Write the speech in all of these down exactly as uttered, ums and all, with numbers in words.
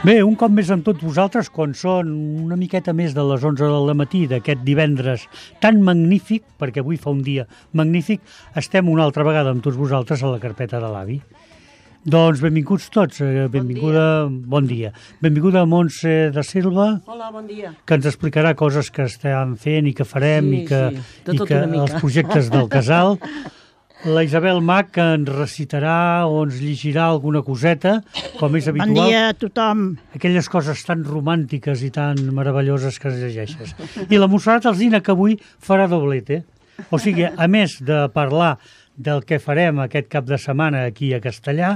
Bé, un cop més amb tots vosaltres, quan són una miqueta més de les onze del matí d'aquest divendres tan magnífic, perquè avui fa un dia magnífic, estem una altra vegada amb tots vosaltres a la carpeta de l'avi. Doncs benvinguts tots, benvinguda, bon dia. Benvinguda a Montse da Silva. Hola, bon dia. Que ens explicarà coses que estem fent i que farem sí, i que, sí, i que els projectes del casal. La Isabel Mac, que ens recitarà o ens llegirà alguna coseta, com és habitual. Bon dia a tothom. Aquelles coses tan romàntiques i tan meravelloses que es llegeixes. I la Montserrat Alsina, que avui farà doblete. O sigui, a més de parlar del que farem aquest cap de setmana aquí a Castellà,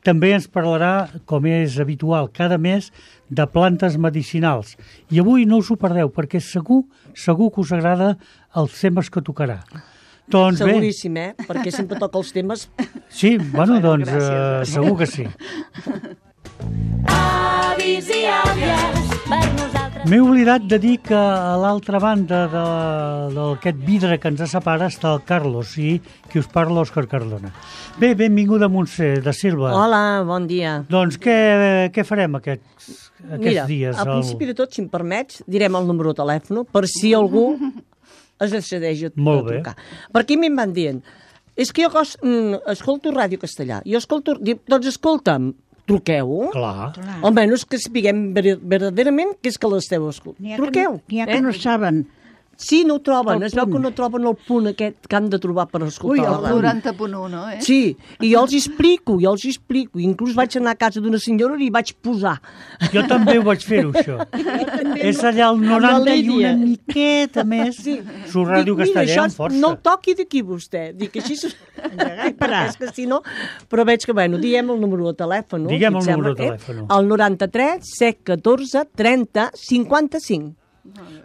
també ens parlarà, com és habitual cada mes, de plantes medicinals. I avui no us ho perdeu, perquè segur, segur que us agrada els temes que tocarà. Doncs seguríssim, eh? Perquè sempre toca els temes. Sí, bueno, doncs uh, segur que sí. Avis i àvies, per nosaltres... M'he oblidat de dir que a l'altra banda d'aquest vidre que ens separa està el Carlos i qui us parla, Òscar Cardona. Bé, benvinguda Montse da Silva. Hola, bon dia. Doncs què, què farem aquests, aquests Mira, dies? Mira, al principi de tot, si em permets, direm el número de telèfon per si algú es decideix a, a trucar. Perquè a mi em van dient, és que jo cos, mm, escolto Ràdio Castellà, jo escolto... Doncs escolta'm, truqueu. Clar. Almenys que sapiguem verdaderament què és que l'esteu escoltant. Truqueu. N'hi ha que no saben. Sí, no ho troben. Es veu que no troben el punt aquest que han de trobar per escoltar. Ui, el noranta punt u, no? Eh? Sí, i jo els explico, jo els explico. Inclús vaig anar a casa d'una senyora i vaig posar. Jo també ho vaig fer-ho, això. És allà el noranta i una miqueta més. Sí. Su Ràdio Castellà amb força. No el toqui d'aquí, vostè. Dic, així... és que si no... Però veig que, bueno, diguem el número de telèfon. Diguem el número de telèfon. El noranta-tres, set, catorze, trenta, cinquanta-cinc.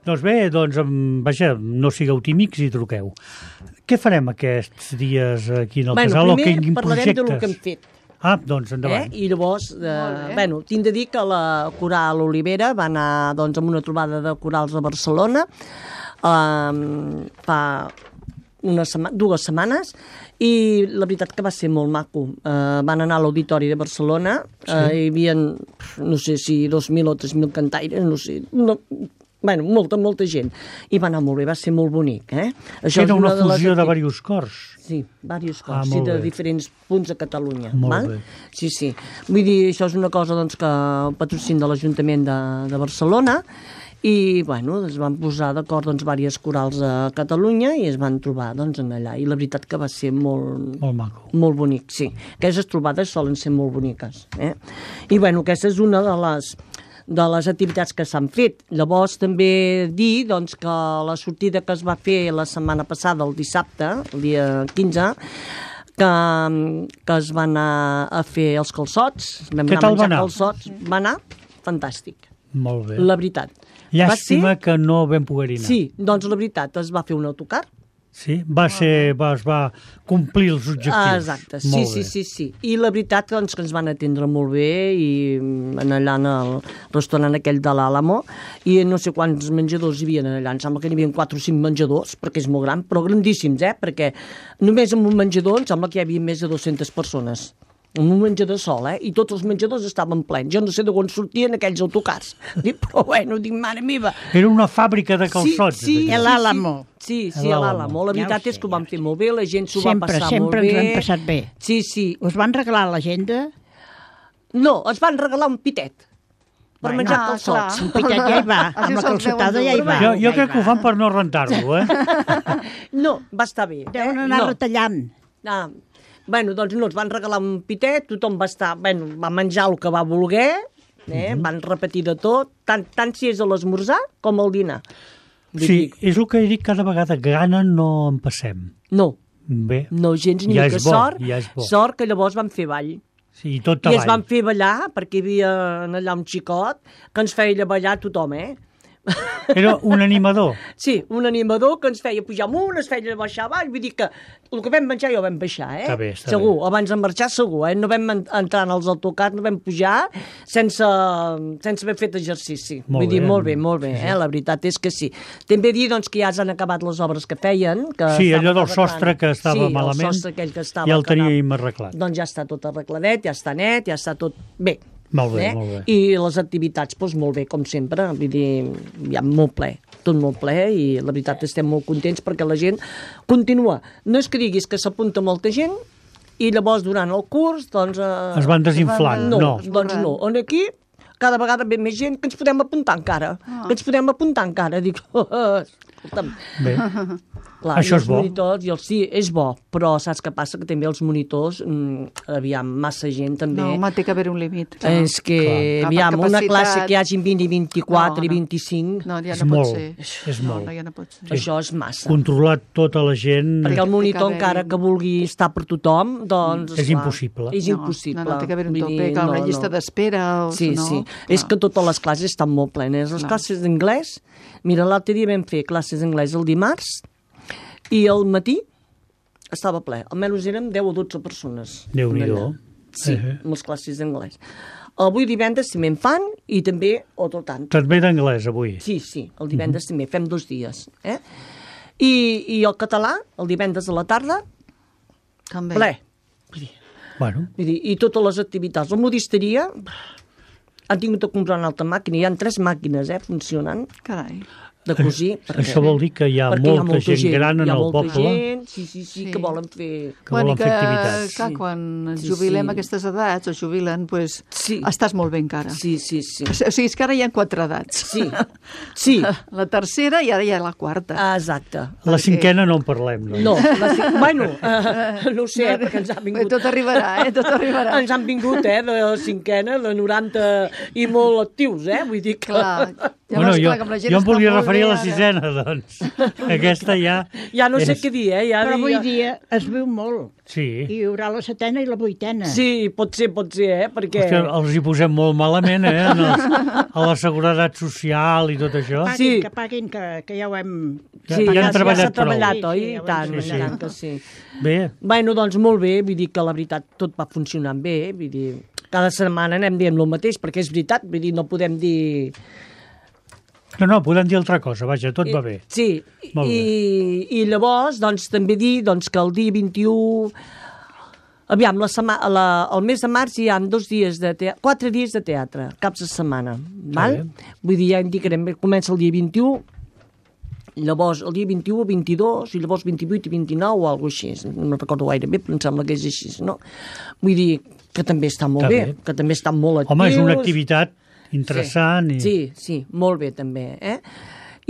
Doncs bé, doncs, vaja, no sigueu tímics i truqueu. Què farem aquests dies aquí en el bueno, casal? Primer o quin parlarem projectes? del que hem fet. Ah, doncs endavant. Eh? I llavors, eh, bueno, tinc de dir que la Coral Olivera va anar doncs, amb una trobada de corals a Barcelona eh, fa una sema, dues setmanes i la veritat que va ser molt maco. Eh, van anar a l'Auditori de Barcelona, sí. eh, hi havia, no sé si dos mil o tres mil cantaires, no sé... No, bueno, molta, molta gent. I va anar molt bé, va ser molt bonic, eh? Això Era una, una fusió de, de diversos cors. Sí, diversos cors, ah, sí, de bé. diferents punts a Catalunya. Molt val? bé. Sí, sí. Vull dir, això és una cosa doncs, que patrocina de l'Ajuntament de, de Barcelona i, bueno, es van posar d'acord doncs, diverses corals a Catalunya i es van trobar doncs, en allà. I la veritat que va ser molt... Molt maco. Molt bonic, sí. Aquestes trobades solen ser molt boniques. Eh? I, bueno, aquesta és una de les... de les activitats que s'han fet. Llavors també dir doncs, que la sortida que es va fer la setmana passada, el dissabte, el dia quinze, que, que es va anar a fer els calçots, vam Què anar tal a menjar va anar? calçots, va anar fantàstic. Molt bé. La veritat. Llàstima ser... que no vam poder-hi anar. Sí, doncs la veritat, es va fer un autocar. Sí, va ser, va, es va complir els objectius. Ah, exacte, sí, sí, sí, sí. I la veritat doncs, que ens van atendre molt bé i en allà en el restaurant aquell de l'Àlamo i no sé quants menjadors hi havia allà, em sembla que n'hi havia quatre o cinc menjadors, perquè és molt gran, però grandíssims, eh? Perquè només en un menjador em sembla que hi havia més de dues-centes persones. En un menjador sol, eh? I tots els menjadors estaven plens. Jo no sé d'on sortien aquells autocars. Dic, però bueno, dic, mare meva. Era una fàbrica de calçots. Sí, sí, l'Àlamo. Sí, sí, a l'Àlamo. La veritat ja és que ho vam fer molt bé, la gent s'ho va passar sempre, molt bé. Sempre ens hem passat bé. Sí, sí. Us van regalar l'agenda? No, ens van regalar un pitet per bueno, menjar ah, calçots. Un pitet ja hi va, amb la calçotada ja hi va. Jo, jo ja crec que ho fan per no rentar-lo, eh? No, va estar bé. Deuen anar no. retallant. Ah, bueno, doncs no, ens van regalar un pitet, tothom va estar, bueno, va menjar el que va voler, eh? Uh-huh. Van repetir de tot, tant, tant si és a l'esmorzar com al dinar. Sí, és el que he dit cada vegada, gana no en passem. No, bé, no gens ni ja mica. És bo, sort, ja és bo. Sort que llavors van fer ball. Sí, tot I avall. es van fer ballar, perquè hi havia allà un xicot que ens feia ballar tothom, eh? Era un animador. Sí, un animador que ens feia pujar amunt, ens feia baixar avall, vull dir que el que vam menjar ja ho vam baixar, eh? Està bé, està segur, bé. Abans de marxar segur, eh? No vam entrar en els autocars, no vam pujar sense, sense haver fet exercici. Molt vull dir, bé. molt bé, molt bé, Sí, sí. eh? La veritat és que sí. També dir, doncs, que ja s'han acabat les obres que feien. Que Sí, estaven allò del arreglant. sostre que estava sí, malament, el sostre aquell que estava... ja el que anava- teníem arreglat. Doncs ja està tot arregladet, ja està net, ja està tot... Bé, Molt bé, eh? molt bé. I les activitats, doncs molt bé, com sempre, vull dir, hi ha molt ple, tot molt ple, i la veritat estem molt contents perquè la gent continua. No és que diguis que s'apunta molta gent, i llavors durant el curs, doncs... Eh, es van desinflant, no. no. Doncs no, on aquí cada vegada ve més gent que ens podem apuntar encara, Ah. que ens podem apuntar encara, dic, escolta'm, Bé, clar, Això i els és bo. monitors, i els, sí, és bo, però saps què passa? Que també els monitors, mm, aviam, massa gent també... No, home, té que haver un límit. clar. És que, Clar. aviam, Per una capacitat- classe que hi hagi vint i vint-i-quatre No, i no. vint-i-cinc, No, ja És no pot molt, ser. és no, molt. No, ja no pot ser. això és massa. controlar tota la gent Perquè el monitor, haver-hi- encara que vulgui estar per tothom, doncs... És esclar, impossible. És No, impossible. No, no, té que haver un Vull tope, dir, clar, una no, llista no. d'espera o Sí, no... sí. clar. És que totes les classes estan molt plenes. Les Clar. classes d'anglès, mira, l'altre dia vam fer classes d'anglès el dimarts i al matí estava ple. Almenys érem deu o dotze persones. Déu-n'hi-do. allà. Sí, Eh. amb les classes d'anglès. Avui divendres també en fan i també otro tant. Tot bé d'anglès, avui. Sí, sí, el divendres també, fem dos dies. Eh? I, I el català, el divendres a la tarda, També. ple. Vull dir, Bueno, vull dir, i totes les activitats. La modisteria, han tingut de comprar una altra màquina, hi ha tres màquines eh, funcionant Carai. de cosir. Perquè, això vol dir que hi ha perquè molta gent gran en hi ha el molta poble. Gent, sí, sí, sí, Sí. que volen fer... que volen fer activitats. clar, Sí. quan ens Sí, jubilem sí. a aquestes edats, o jubilen, pues, Sí. estàs molt bé encara. Sí, sí, sí. O sigui, és que ara hi ha quatre edats. Sí, sí, La tercera i ara hi ha la quarta. ah, exacte. La cinquena no en parlem, no? No, la, ci- bueno, uh, no ho sé, eh, perquè ens han Bé, vingut... tot arribarà, eh? Tot arribarà. Ens han vingut, eh, de cinquena, de noranta i molt actius, eh? Vull dir que... Clar. Bueno, Llavors, jo, clar, com la gent jo em està volia molt referir a bé la ara. sisena, doncs. Aquesta ja... Ja no sé és- què dir, eh? Ja, Però avui ja... dia es viu molt. Sí. I hi haurà la setena i la vuitena. Sí, pot ser, pot ser, eh? Perquè... Hòstia, els hi posem molt malament, eh? En els, a la seguretat social i tot això. Paguin, Sí. que paguin, que, que ja ho hem... Ja- Sí, ja ja, han ja treballat s'ha treballat, prou. oi? Sí, sí, I ja ho tant, hem i treballat. tant que sí. Bé, Bueno, doncs molt bé, vull dir que la veritat tot va funcionant bé, vull dir, cada setmana anem dient el mateix, perquè és veritat, vull dir, no podem dir... no, no, podem dir altra cosa, vaja, tot va bé. Sí, Molt i, i llavors, doncs, també dir doncs, que el dia vint-i-u... Aviam, la sema, la, el mes de març hi ha dos dies de teatre, quatre dies de teatre, caps de setmana, val? bé. Vull dir, ja indicarem, comença el dia vint-i-u, llavors el dia vint-i-u, vint-i-dos, i llavors vint-i-vuit i vint-i-nou o alguna cosa així, no me'n recordo gaire bé, però em sembla que és així, no? Vull dir que també està molt Està bé, bé. que també estan molt actius. Home, és una activitat interessant. Sí, I... sí, sí, molt bé també, eh?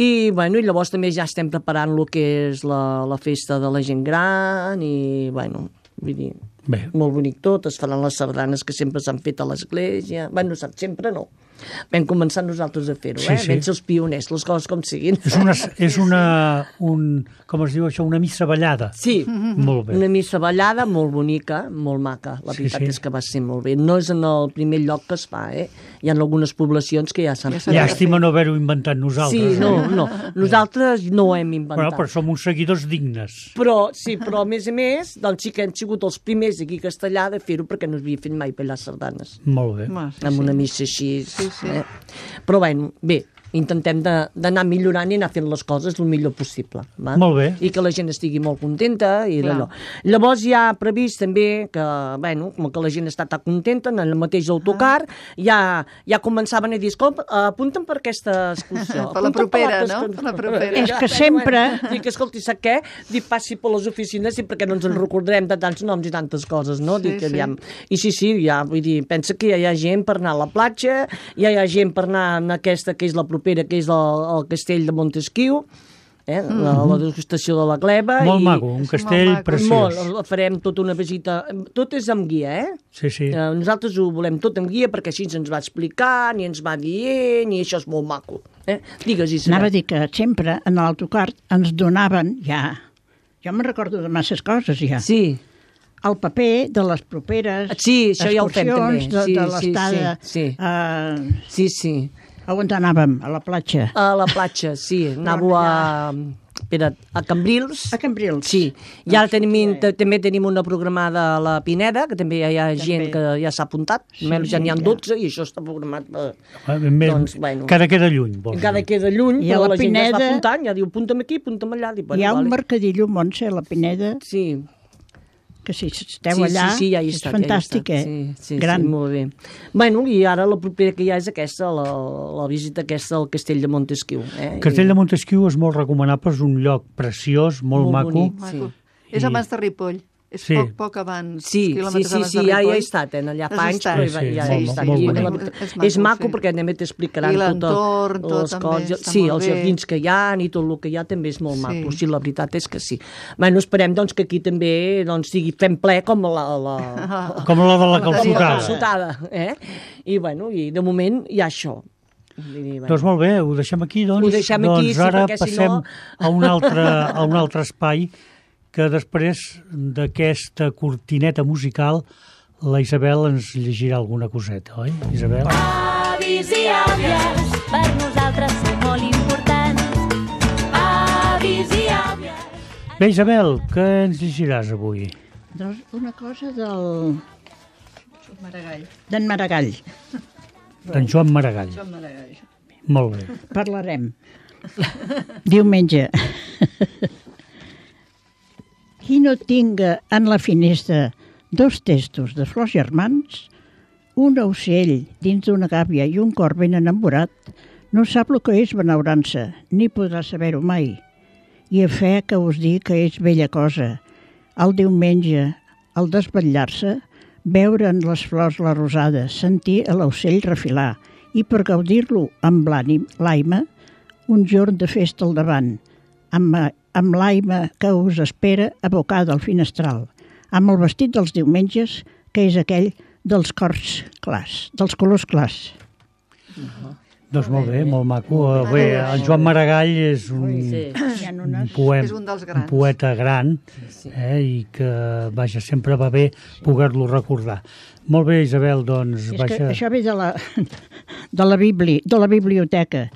I, bueno, i llavors també ja estem preparant el que és la, la festa de la gent gran i, bueno, vull dir, Bé, molt bonic tot, es faran les sardanes que sempre s'han fet a l'església, bueno, saps, sempre no. Vam començar nosaltres a fer-ho, Sí, eh? sí. Vam ser els pioners, les coses com siguin. és una, és una un, com es diu això, una missa ballada. Sí, Molt bé. una missa ballada molt bonica, molt maca. La Sí, veritat sí. és que va ser molt bé. No és en el primer lloc que es fa, eh? Hi ha algunes poblacions que ja s'han Ja fet. s'ha Llàstima no haver-ho inventat nosaltres. Sí, no, no. Nosaltres no ho hem inventat. Bueno, però som uns seguidors dignes. Però, sí, però a més a més, doncs sí que hem sigut els primers aquí a Castellà de fer-ho perquè no s'havia fet mai ballar sardanes. Molt bé. Home, sí, Amb sí. una missa així. Sí, sí. Eh? Però bueno, bé, intentem de- d'anar millorant i anar fent les coses el millor possible. Va? Molt bé. I que la gent estigui molt contenta i Clar. d'allò. Llavors hi ha previst també que, bueno, com que la gent està tan contenta, en el mateix autocar, ja, ja començaven a dir, escolta, apunten per aquesta excursió. Per la apunten propera, l'altra no? excursió." Per la propera. És que sempre- Dic, escolti, sap què? Dic, passi per les oficines i perquè no ens en recordarem de tants noms i tantes coses, no? Sí, Dic, sí. aviam. I sí, sí, ja, vull dir, pensa que ja hi ha gent per anar a la platja, ja hi ha gent per anar a aquesta que és la propera, que és el, el castell de Montesquiu, eh? la, la degustació de la gleba. Molt i... maco, un castell molt maco. preciós. Molt, farem tota una visita, tot és amb guia, eh? Sí, sí. Eh, Nosaltres ho volem tot amb guia perquè així ens va explicant i ens va dient i això és molt maco. Eh? Digues, Isabel. Anava a dir que sempre en l'autocar ens donaven ja... Jo me'n recordo de masses coses ja. Sí, El paper de les properes sí, això ja ho fem també. excursions, de, Sí, de sí, l'estada... sí, sí. eh, sí, sí. a on anàvem? A la platja. A la platja, sí. Anàveu a... Espera, a Cambrils. A Cambrils. Sí, i ara tenim, t- també tenim una programada a la Pineda, que també hi ha gent que ja s'ha apuntat, Sí, almenys ja sí, n'hi ha ja. dotze i això està programat per... Ah, més- doncs, bueno. Cada queda lluny, vols Encara dir. queda lluny, I a però la la, gent ja es va Pineda- apuntant, ja diu, apunta'm aquí, apunta'm allà. Dic, Hi ha un vale. mercadillo, Montse, a la Pineda, Sí, que si esteu sí, allà, sí, sí, ja hi he és estat, fantàstic, ja hi he eh? estat. Sí, sí, Gran. sí, molt bé. Bueno, i ara la propera que hi ha és aquesta, la, la visita aquesta al Castell de Montesquieu. Eh? Castell de Montesquieu és molt recomanable, és un lloc preciós, molt, Molt maco. bonic. Maco. Sí. És abans de Ripoll. És Sí. poc, poc abans, Sí, sí, quilòmetres sí, abans sí, de ja, Ripoll. ja he estat, eh, allà Has fa anys, estat? però Sí, ja, sí, ja he molt, estat. molt I bonic. la- És és maco, maco sí. perquè també t'explicaran I tot l'entorn, tot les també coses. està Sí, molt els bé. jardins que hi ha i tot el que hi ha també és molt Sí. maco. Sí, la veritat és que sí. Bueno, esperem doncs, que aquí també doncs, sigui fem ple com la, la, Com la de la La la calçotada. calçotada. Eh? I, bueno, i de moment hi ha això. Vull dir, bueno. Doncs molt bé, ho deixem aquí, doncs. Ho deixem doncs aquí, sí, ara perquè si passem no- a, un altre, a un altre espai que després d'aquesta cortineta musical la Isabel ens llegirà alguna coseta, oi, Isabel? Avis i àvies, per nosaltres sou molt importants. Avis i àvies. Bé, Isabel, què ens llegiràs avui? Doncs una cosa del... Maragall. d'en Maragall. D'en Joan Maragall. Maragall. Molt bé. Parlarem. Diumenge. Qui no tinga en la finestra dos testos de flors germans, un ocell dins d'una gàbia i un cor ben enamorat, no sap el que és benaurança, ni podrà saber-ho mai. I a fe que us dic que és bella cosa, el diumenge, al desvetllar-se, veure en les flors la rosada, sentir a l'ocell refilar i per gaudir-lo amb l'ànim, l'aima, un jorn de festa al davant, amb, amb l'aima que us espera abocada al finestral, amb el vestit dels diumenges, que és aquell dels cors clars, dels colors clars. Doncs molt bé, molt maco. Bé, en Joan Maragall és un, Sí. Hi ha un, unes... poem, És un dels un grans. poeta gran eh, i que, vaja, sempre va bé poder-lo recordar. Molt bé, Isabel, doncs, És que vaja... això ve de la, de la, bibli, de la biblioteca,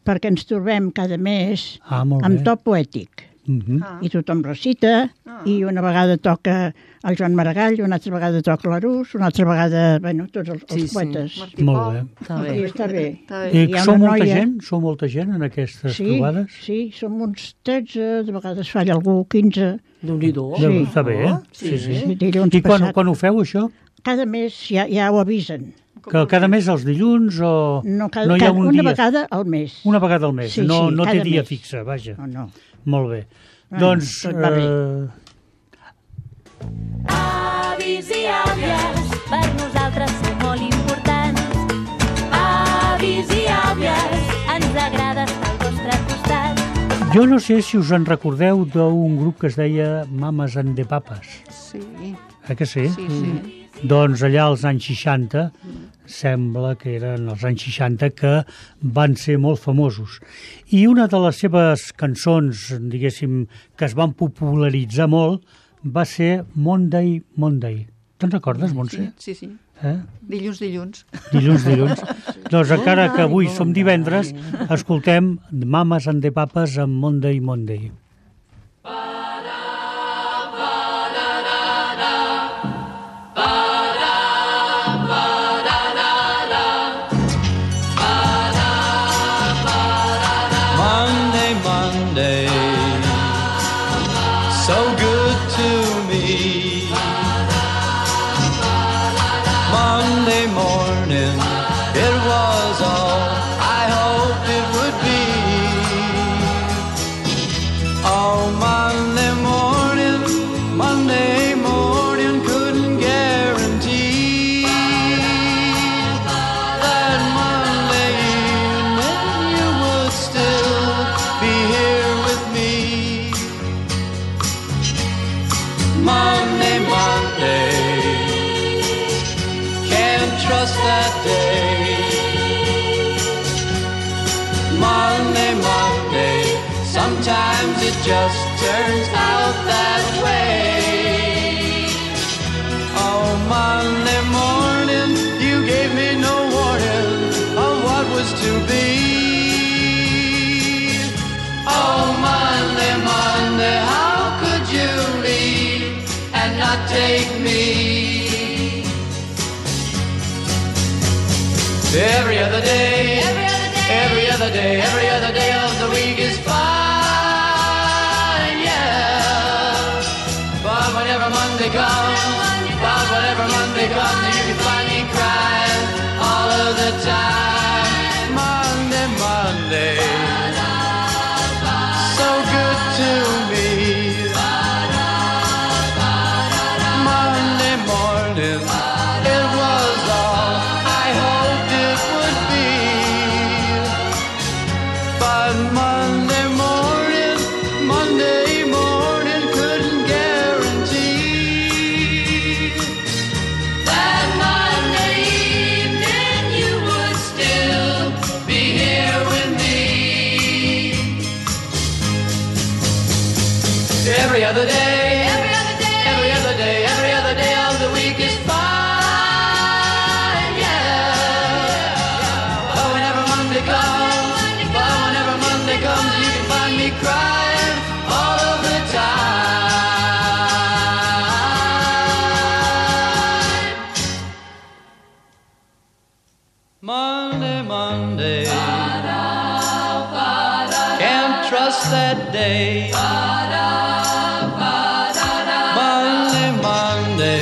perquè ens trobem cada mes Ah, molt amb bé. to poètic. Mhm. Ah. I tothom recita, i una vegada toca el Joan Maragall, una altra vegada toca l'Arús, una altra vegada, bueno, tots els, els Sí, sí. poetes. Martí Molt Pol. bé. Està bé. I està bé. Està bé. I Hi ha sou una molta noia- gent? Sou molta gent en aquestes Sí, trobades? sí, som uns tretze, de vegades falla algú, quinze. Déu-n'hi-do. Sí. Déu, està bé, eh? Sí, sí. Sí, dilluns I quan, passat. quan ho feu, això? Cada mes ja, ja ho avisen. Que cada mes els dilluns o No, cada, no hi ha cada, un una dia? vegada al mes. Una vegada al mes, Sí, no, sí, no té cada dia mes. fixe, vaja. No, no. Molt bé. Bueno, doncs, tot va bé. eh, Avis i àvies, per nosaltres sou molt importants. Avis i àvies, ens agrada estar al vostre costat. jo no sé si us en recordeu d'un grup que es deia Mames and the Papas. Sí, Eh que sí? sí, sí. Doncs allà als anys seixanta, sembla que eren els anys seixanta, que van ser molt famosos. I una de les seves cançons, diguéssim, que es van popularitzar molt, va ser Monday, Monday. Te'n recordes, Montse? Sí, sí. Eh? Dilluns, dilluns. Dilluns, dilluns. Doncs encara que avui som divendres, escoltem Mames and the Papas amb Monday, Monday. Monday, Monday, so good to me. Monday morning, it was all I hoped it would be. Oh, Monday morning, Monday morning, couldn't guarantee that Monday evening you would still be here with me. Monday, Monday, can't trust that day. Monday, Monday, sometimes it just turns out that way. Oh, Monday morning, you gave me no warning of what was to be. Oh, Monday, Monday, how could you leave and not take me? Every other day, every other day, every other day, every other day of the week is fine, yeah. But But whenever Monday comes, but whenever Monday comes, you can find me crying all of the time. Monday, Monday, so good to me. Monday morning, it was all I hoped it would be. But Monday morning, Monday morning couldn't guarantee that Monday evening you would still be here with me. Every other day, every other day, every other day, every other day of the week is fine, yeah. But whenever Monday comes, but whenever Monday comes, you can find me crying all of the time. Monday, Monday, can't trust that day. Monday, Monday,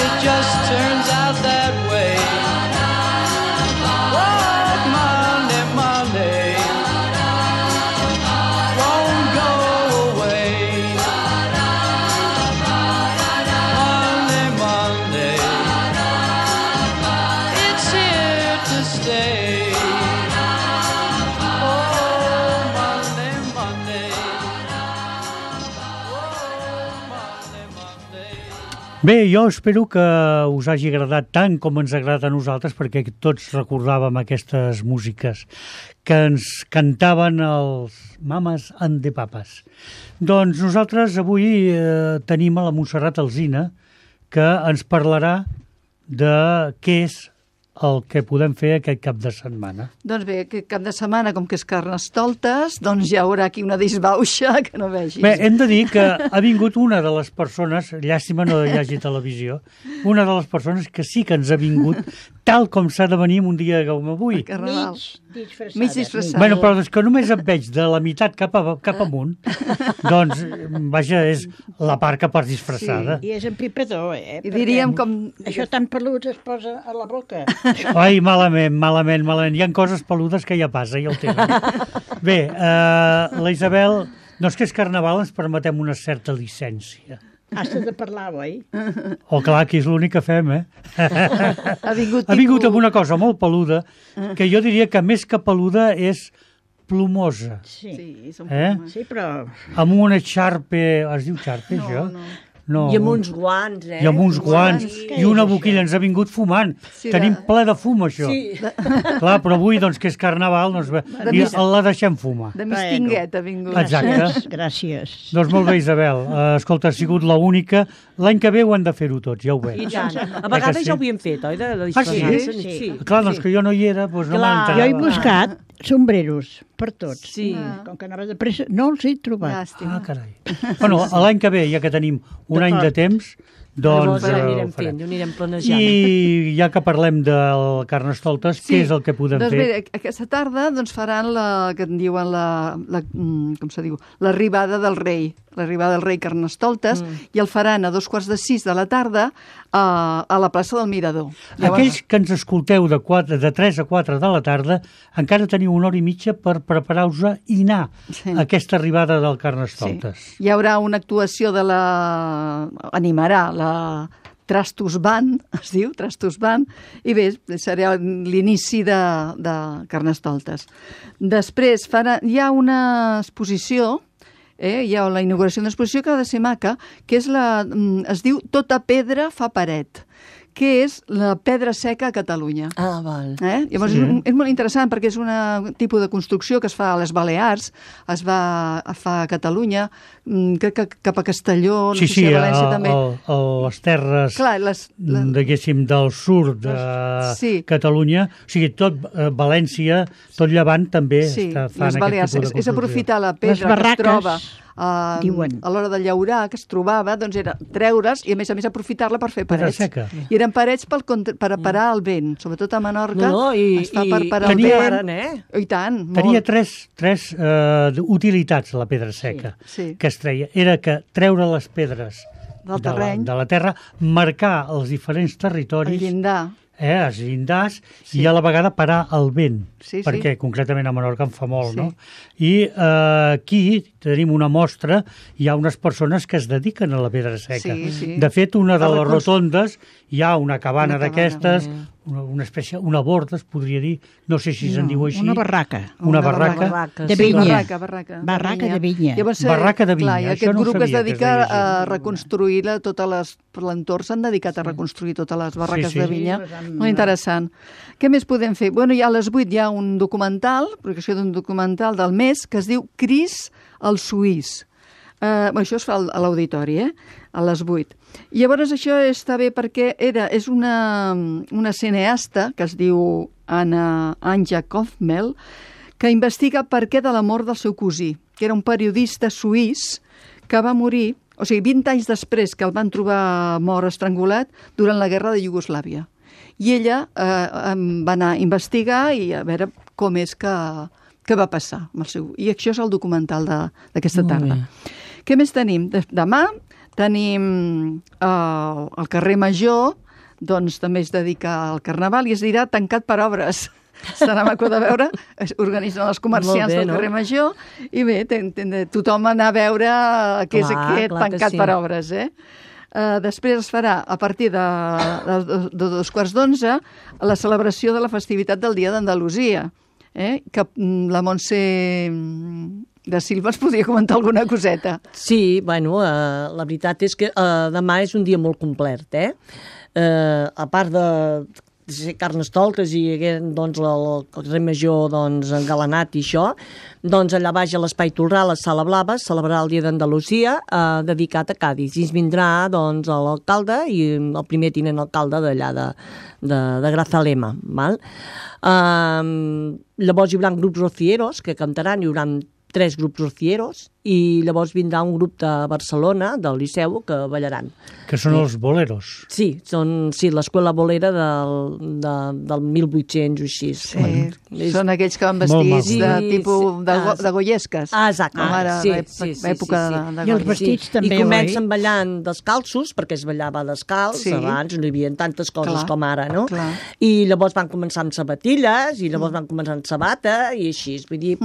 it just turns out that way. Oh, Monday, Monday, won't go away. Monday, Monday, it's here to stay. Oh, Monday, Monday. Bé, jo espero que us hagi agradat tant com ens agrada a nosaltres, perquè tots recordàvem aquestes músiques que ens cantaven els Mames and the Papas. Doncs nosaltres avui eh, tenim a la Montserrat Alsina, que ens parlarà de què és el que podem fer aquest cap de setmana. Doncs bé, aquest cap de setmana, com que és Carnestoltes, doncs hi haurà aquí una disbauxa que no vegis. Bé, hem de dir que ha vingut una de les persones, llàstima no hi hagi televisió, una de les persones que sí que ens ha vingut tal com s'ha de venir un dia com avui. Carnaval. Mig disfressada. Mig disfressada. Bueno, però és que només et veig de la meitat cap, a, cap amunt, doncs, vaja, és la part que pots disfressada. I és en pipador, eh? I diríem Perquè com... Això tan pelut es posa a la boca. Ai, malament, malament, malament. Hi ha coses peludes que ja passa, ja ho tenen. Bé, eh, la Isabel, no és que és carnaval, ens permetem una certa llicència. Has de parlar, oi? Oh, clar, aquí és l'únic que fem, eh? Ha vingut, Ha vingut tipus- amb una cosa molt peluda, que jo diria que més que peluda és plomosa, Sí. Sí, som... eh? Sí, però... Amb una xarpe... Es diu xarpe, No, això? no. No. I amb uns guants, eh? I amb uns guants, Què i una és això? boquilla, ens ha vingut fumant. Sí, Tenim de- ple de fum, això. Sí. Clar, però avui, doncs, que és carnaval, doncs, i mis- la deixem fumar. De mistinguet ha vingut. Exacte. Gràcies, gràcies. Doncs molt bé, Isabel. Uh, escolta, ha sigut l'única. L'any que ve ho hem de fer-ho tots, ja ho I veig. tant. A que vegades sí? ja ho havíem fet, oi? De, de Ah, sí? disfressar-se. Sí. sí. Clar, doncs que jo no hi era, doncs no Clar. Jo he m'enterava. buscat sombreros per tots. Sí. Com que anava de pressa, no els he trobat. Llàstima. Ah, carai. Bueno, l'any que ve, ja que tenim un any de temps, doncs Llavors ja eh, anirem ho farem. fent, ho anirem planejant. I ja que parlem del Carnestoltes, què és el que podem doncs fer? Bé, aquesta tarda doncs, faran la que en diuen la, la mm, com se diu, l'arribada del rei, l'arribada del rei Carnestoltes, mm. i el faran a dos quarts de sis de la tarda a, a la plaça del Mirador. Aquells que ens escolteu de, quatre, de tres a quatre de la tarda encara teniu una hora i mitja per preparar-vos i anar Sí. a aquesta arribada del Sí. Carnestoltes. Hi haurà una actuació de la... animarà la Trastus Band, es diu, Trastus Band, i bé, serà l'inici de, de Carnestoltes. Després farà, hi ha una exposició, eh, hi ha la inauguració d'una exposició que ha de ser maca, que és la, mm, es diu Tota pedra fa paret, que és la pedra seca a Catalunya. Ah, val. Eh? Llavors sí. és, un, és molt interessant perquè és un tipus de construcció que es fa a les Balears, es va a fa a Catalunya, mm, crec que cap a Castelló, no Sí, sé sí, si a a, València a, també. a les terres, Clar, les, la, diguéssim, del sud de Sí. Catalunya, o sigui, tot eh, València, tot Llevant també sí, està fan les aquest Balears. tipus de És, és construcció. aprofitar la Les pedra que es barraques. troba uh, Diuen. a l'hora de llaurar, que es trobava, doncs era treure's i, a més a més, aprofitar-la per fer Pedra parets. seca. I eren parets pel contra, per parar el vent, sobretot a Menorca. No, no, i, es fa i, per parar i el tenia- vent. paren, eh? I tant, molt. Tenia tres, tres eh, utilitats, la pedra seca, sí. que es treia. Era que treure les pedres Del de la, terreny. de la terra, marcar els diferents El territoris, llindar. eh, els llindars, i a la vegada parar el vent, Sí, sí. perquè concretament a Menorca en fa molt, Sí. no? I eh, aquí tenim una mostra, hi ha unes persones que es dediquen a la pedra seca. Sí, sí. De fet, una de A les reconst- rotondes hi ha una cabana Una cabana, d'aquestes, eh. una, una espècie, una borda, es podria dir, no sé si se'n No, diu així. una barraca. Una Una barraca. barraca, De sí. vinya. Barraca, barraca. Barraca de vinya. Llavors, eh, Barraca de vinya, Clar, i això aquest no ho grup que es sabia que es dedica deia així. a reconstruir la, totes les... Per l'entorn s'han dedicat a reconstruir totes les barraques Sí, sí. de vinya. Sí, les han- Molt interessant. Què més podem fer? Bueno, ja a les vuit hi ha un documental, projecció d'un documental del mes, que es diu Cris el Suís. Uh, això es fa al- a l'auditori, eh? A les vuit. I llavors això està bé perquè era, és una, una cineasta que es diu Anna Anja Kaufmel, que investiga per què de la mort del seu cosí, que era un periodista suís que va morir, o sigui, vint anys després que el van trobar mort estrangulat durant la guerra de Iugoslàvia. I ella eh, em va anar a investigar i a veure com és que, que va passar amb el seu... I això és el documental de- d'aquesta Molt tarda. bé. Què més tenim? De- Demà tenim eh, el carrer Major, doncs també es dedica al Carnaval i es dirà tancat per obres. Serà maco de veure, es organitzen els comerciants Molt bé, del no? carrer Major i bé, ten, ten, tothom anar a veure què és Clar, aquest clar que tancat sí. per obres, eh? Uh, després es farà, a partir de, de, de dos quarts d'onze, la celebració de la festivitat del Dia d'Andalusia, eh? que mm, la Montse mm, de Silva ens podria comentar alguna coseta. Sí, bueno, eh, la veritat és que eh, demà és un dia molt complet, eh? Eh, a part de ser carnestoltes i hagué, doncs, el, el carrer Major doncs, engalanat i això, doncs allà baix a l'Espai Tolrà, a la Sala Blava, es celebrarà el Dia d'Andalusia eh, dedicat a Cádiz. I ens vindrà doncs, l'alcalde i el primer tinent alcalde d'allà de, de, de Grazalema. Val? Eh, llavors hi haurà grups rocieros que cantaran, hi haurà tres grups rocieros i llavors vindrà un grup de Barcelona, del Liceu, que ballaran. Que són els boleros. Sí, són sí, l'escola bolera del, de, del mil vuit-cents o així. Sí, és- són aquells que van Molt vestits maco. de Sí, tipus sí. de, go, Ah, de goyesques. Ah, exacte. Com ara, sí, l'època sí, sí, època sí, sí. de, de I els Goya. vestits també, I comencen oi? ballant descalços, perquè es ballava descalç, Sí. abans no hi havia tantes coses Clar, com ara, no? clar. I llavors van començar amb sabatilles, i llavors van començar amb sabata, i així, vull dir,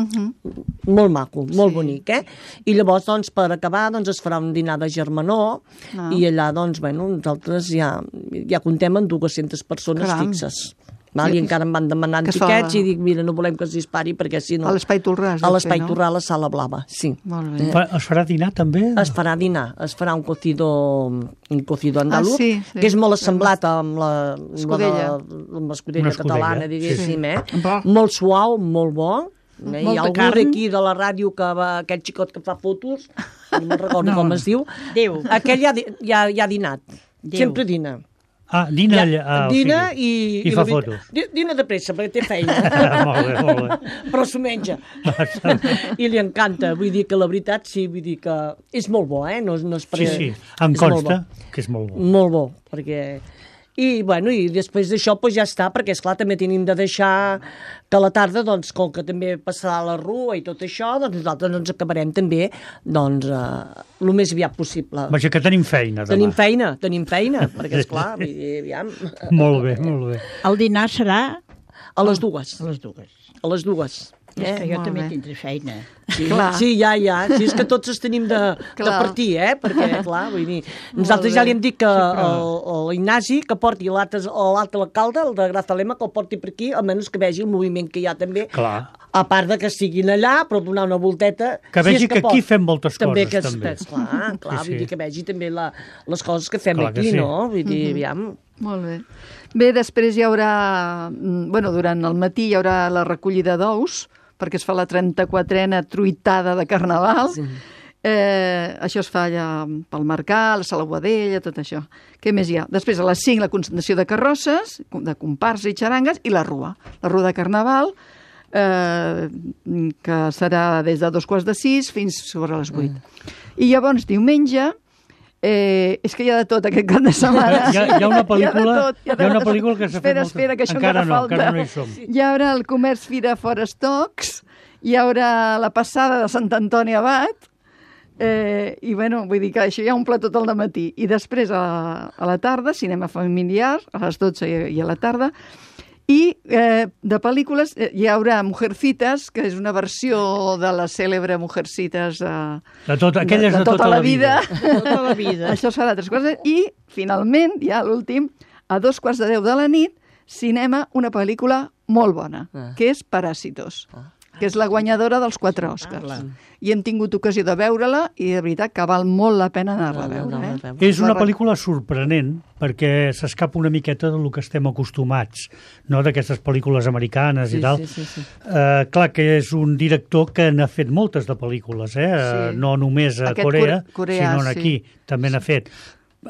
molt maco, molt Sí. bonic, eh? I llavors, doncs, per acabar, doncs, es farà un dinar de germanor, Ah. i allà, doncs, bueno, nosaltres ja, ja contem amb dues-centes persones Caram. fixes. Val? Sí. I encara em van demanant Que es fa- tiquets i dic, mira, no volem que es dispari perquè si no... A l'Espai Tolrà es A deu l'Espai fer, no? Torrà, a la Sala Blava, sí. Molt bé. Fa- Es farà dinar també? Es farà dinar, es farà un cocido, un cocido andalús, Ah, sí, sí. que és molt assemblat amb la, amb Escudella. la, amb l'escudella Una escudella, catalana, diguéssim, sí. eh? Bo. Molt suau, molt bo. Eh? Hi Molta ha algú carn. aquí de la ràdio que va, aquest xicot que fa fotos, no me'n recordo No. com es diu, Déu. aquell ja, di- ja, ja ha dinat, Déu. sempre dina. Ah, dina allà. Ah, o dina sigui, i... i fa la veritat- fotos. di- Dina de pressa, perquè té feina. molt bé, molt bé. Però s'ho menja. I li encanta. Vull dir que la veritat, sí, vull dir que és molt bo, eh? No, no és per... Sí, sí, em és molt consta bo. que és molt bo. Molt bo, perquè... I, bueno, i després d'això, doncs ja està, perquè, esclar, també tenim de deixar que a la tarda, doncs, com que també passarà la rua i tot això, doncs nosaltres ens acabarem també, doncs, eh, el més aviat possible. Vaja, que tenim feina demà. Tenim feina, tenim feina, perquè, esclar, vull dir, aviam, Molt bé, molt bé. El dinar serà a les dues, a les dues. a les dues. És que jo molt també bé. tindré feina. Sí, Clar. sí, ja, ja. Sí, és que tots es tenim de, de Clar. partir, eh? Perquè, clar, vull dir... Nosaltres ja li hem dit que el- l'Ignasi, que porti l'altre l'altre alcalde, el de Grazalema, que el porti per aquí, almenys que vegi el moviment que hi ha també. Clar. A part de que estiguin allà, però donar una volteta... Que si vegi és que aquí pot. fem moltes també coses, que, es- també. Que, esclar, clar, Sí, vull sí. dir que vegi també la, les coses que fem Clar que aquí, sí. no? Vull dir, aviam... Molt bé. Bé, després hi haurà... mm, Bueno, durant el matí hi haurà la recollida d'ous, perquè es fa la trenta-quatrena truitada de Carnaval. Sí. Eh, això es fa allà pel Mercat, la Sala Boadella, tot això. Què més hi ha? Després, a les cinc, la concentració de carrosses, de comparsa i xarangues, i la rua. La rua de Carnaval, eh, que serà des de dos quarts de sis fins sobre les vuit. I llavors, diumenge, Eh, és que hi ha de tot aquest cap de setmana. Hi ha, hi ha una pel·lícula, hi ha, tot, hi ha, hi ha una pel·lícula que s'ha fet espera, molta... espera, que això encara encara no, falta. encara no hi som. Hi haurà el Comerç Fira Fora Stocks, hi haurà la passada de Sant Antoni Abat, eh, i bueno, vull dir que això ja omple tot el dematí. I després a la, a la tarda, cinema familiar, a les dotze i, i a la tarda, i eh, de pel·lícules eh, hi haurà Mujercitas, que és una versió de la cèlebre Mujercitas eh, de, tot, aquelles de, de, tota, tota la vida. De tota la vida. Això serà tres quarts de... I, finalment, ja l'últim, a dos quarts de deu de la nit, cinema, una pel·lícula molt bona, Ah. que és Paràsitos, Ah. que és la guanyadora dels quatre Oscars. clar. I hem tingut ocasió de veure-la i de veritat que val molt la pena anar-la a veure. Eh? És una La- pel·lícula sorprenent perquè s'escapa una miqueta del que estem acostumats, no? D'aquestes pel·lícules americanes Sí, i tal. sí, sí, sí. Eh, clar que és un director que n'ha fet moltes de pel·lícules, eh? Sí. no només a Aquest Corea, Core- Coreà, sinó sí. aquí també n'ha fet.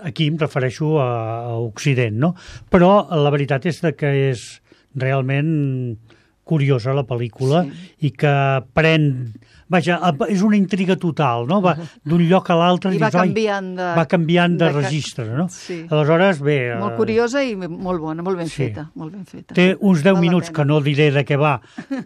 Aquí em refereixo a, a Occident, no? Però la veritat és de que és realment curiosa la pel·lícula Sí. i que pren... Vaja, és una intriga total, no? Va d'un lloc a l'altre I va dius, "Ai", canviant de... va canviant de, de ca- registre, no? Sí. Aleshores, bé... Molt eh, curiosa i molt bona, molt ben sí. feta. Molt ben feta. Té uns deu Val la minuts pena. que no diré de què va,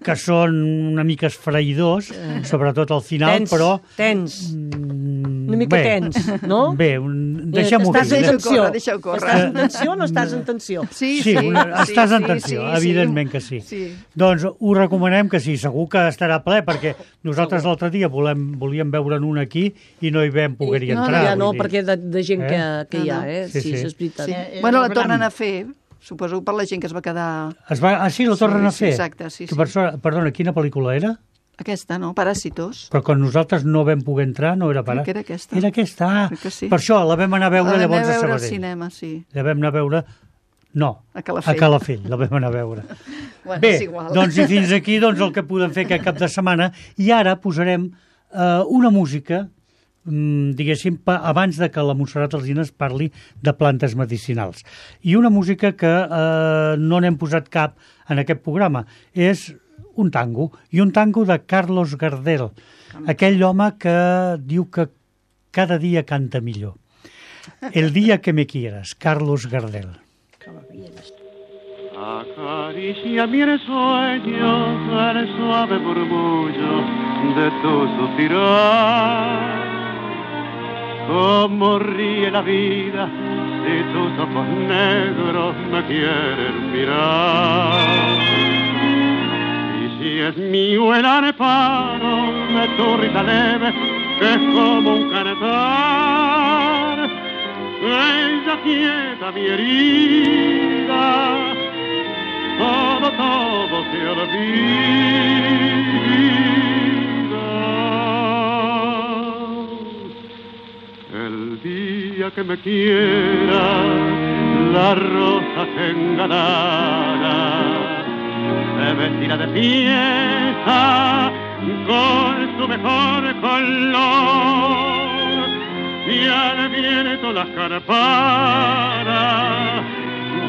que són una mica esfraïdors, sobretot al final, Tens, però... tens. mm, Una mica bé, tens, no? Bé, un... deixem-ho Estàs aquí. en eh? Deixa-ho tensió. córrer, deixa-ho córrer. Estàs en tensió o no estàs en tensió? Sí, Sí, una, estàs en sí, tensió, sí, sí. evidentment que sí. Sí. Doncs us recomanem que sí, segur que estarà ple, perquè nosaltres l'altre dia volem, volíem veure'n un aquí i no hi vam poder-hi no, entrar. ja no, vull dir. perquè de, de gent Eh? que, que hi ha, No, no. eh? Sí, Sí, sí. és veritat. Sí. Eh, eh, Bueno, la el tornen Bram. a fer, suposo per la gent que es va quedar... Es va... Ah, sí, la Sí, tornen a sí, fer? exacte, sí, Que sí. per sort- Perdona, quina pel·lícula era? Aquesta, no? Paràsitos. Però quan nosaltres no vam poder entrar no era para... Crec que era aquesta. Era aquesta, ah, Crec que sí. per això la vam anar a veure La vam llavors anar a a veure al Sabadell. cinema, sí. La vam anar a veure... No, A Calafell. a Calafell, la vam anar a veure. Bueno, Bé, és igual. doncs i fins aquí doncs, el que podem fer aquest cap de setmana. I ara posarem eh, una música, mm, diguéssim, pa, abans de que la Montserrat Alsina parli de plantes medicinals. I una música que eh, no n'hem posat cap en aquest programa. És un tango, i un tango de Carlos Gardel, aquell home que diu que cada dia canta millor. El día que me quieras, Carlos Gardel. Acaricia mi sueño el suave murmullo de tu suspirar. Cómo ríe la vida si tus ojos negros me quieren mirar. Y si es mío el arpano de tu risa leve, que es como un cantar, ella quieta mi herida, todo, todo se olvida. El día que me quiera, la rosa se engalara, se vestirá de fiesta con su mejor color, y al viento las carparas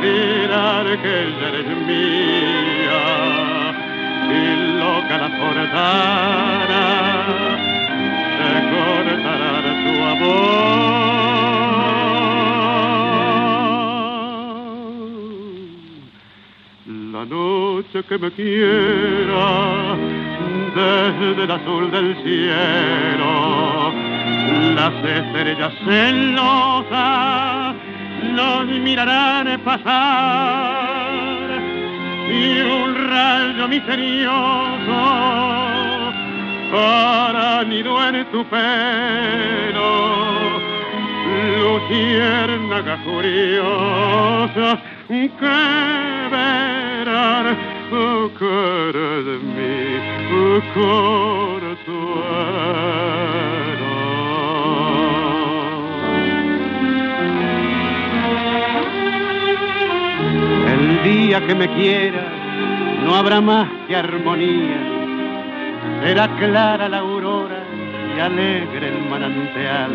dirán que ella eres mía, y loca la forzara se cortará de tu amor. La noche que me quiera, desde el azul del cielo, las estrellas celosas nos mirarán pasar, y un rayo misterioso hará nido en tu pelo, luciérnaga curiosa que verán que eres mi consuelo. El día que me quieras no habrá más que armonía, será clara la aurora y alegre el manantial,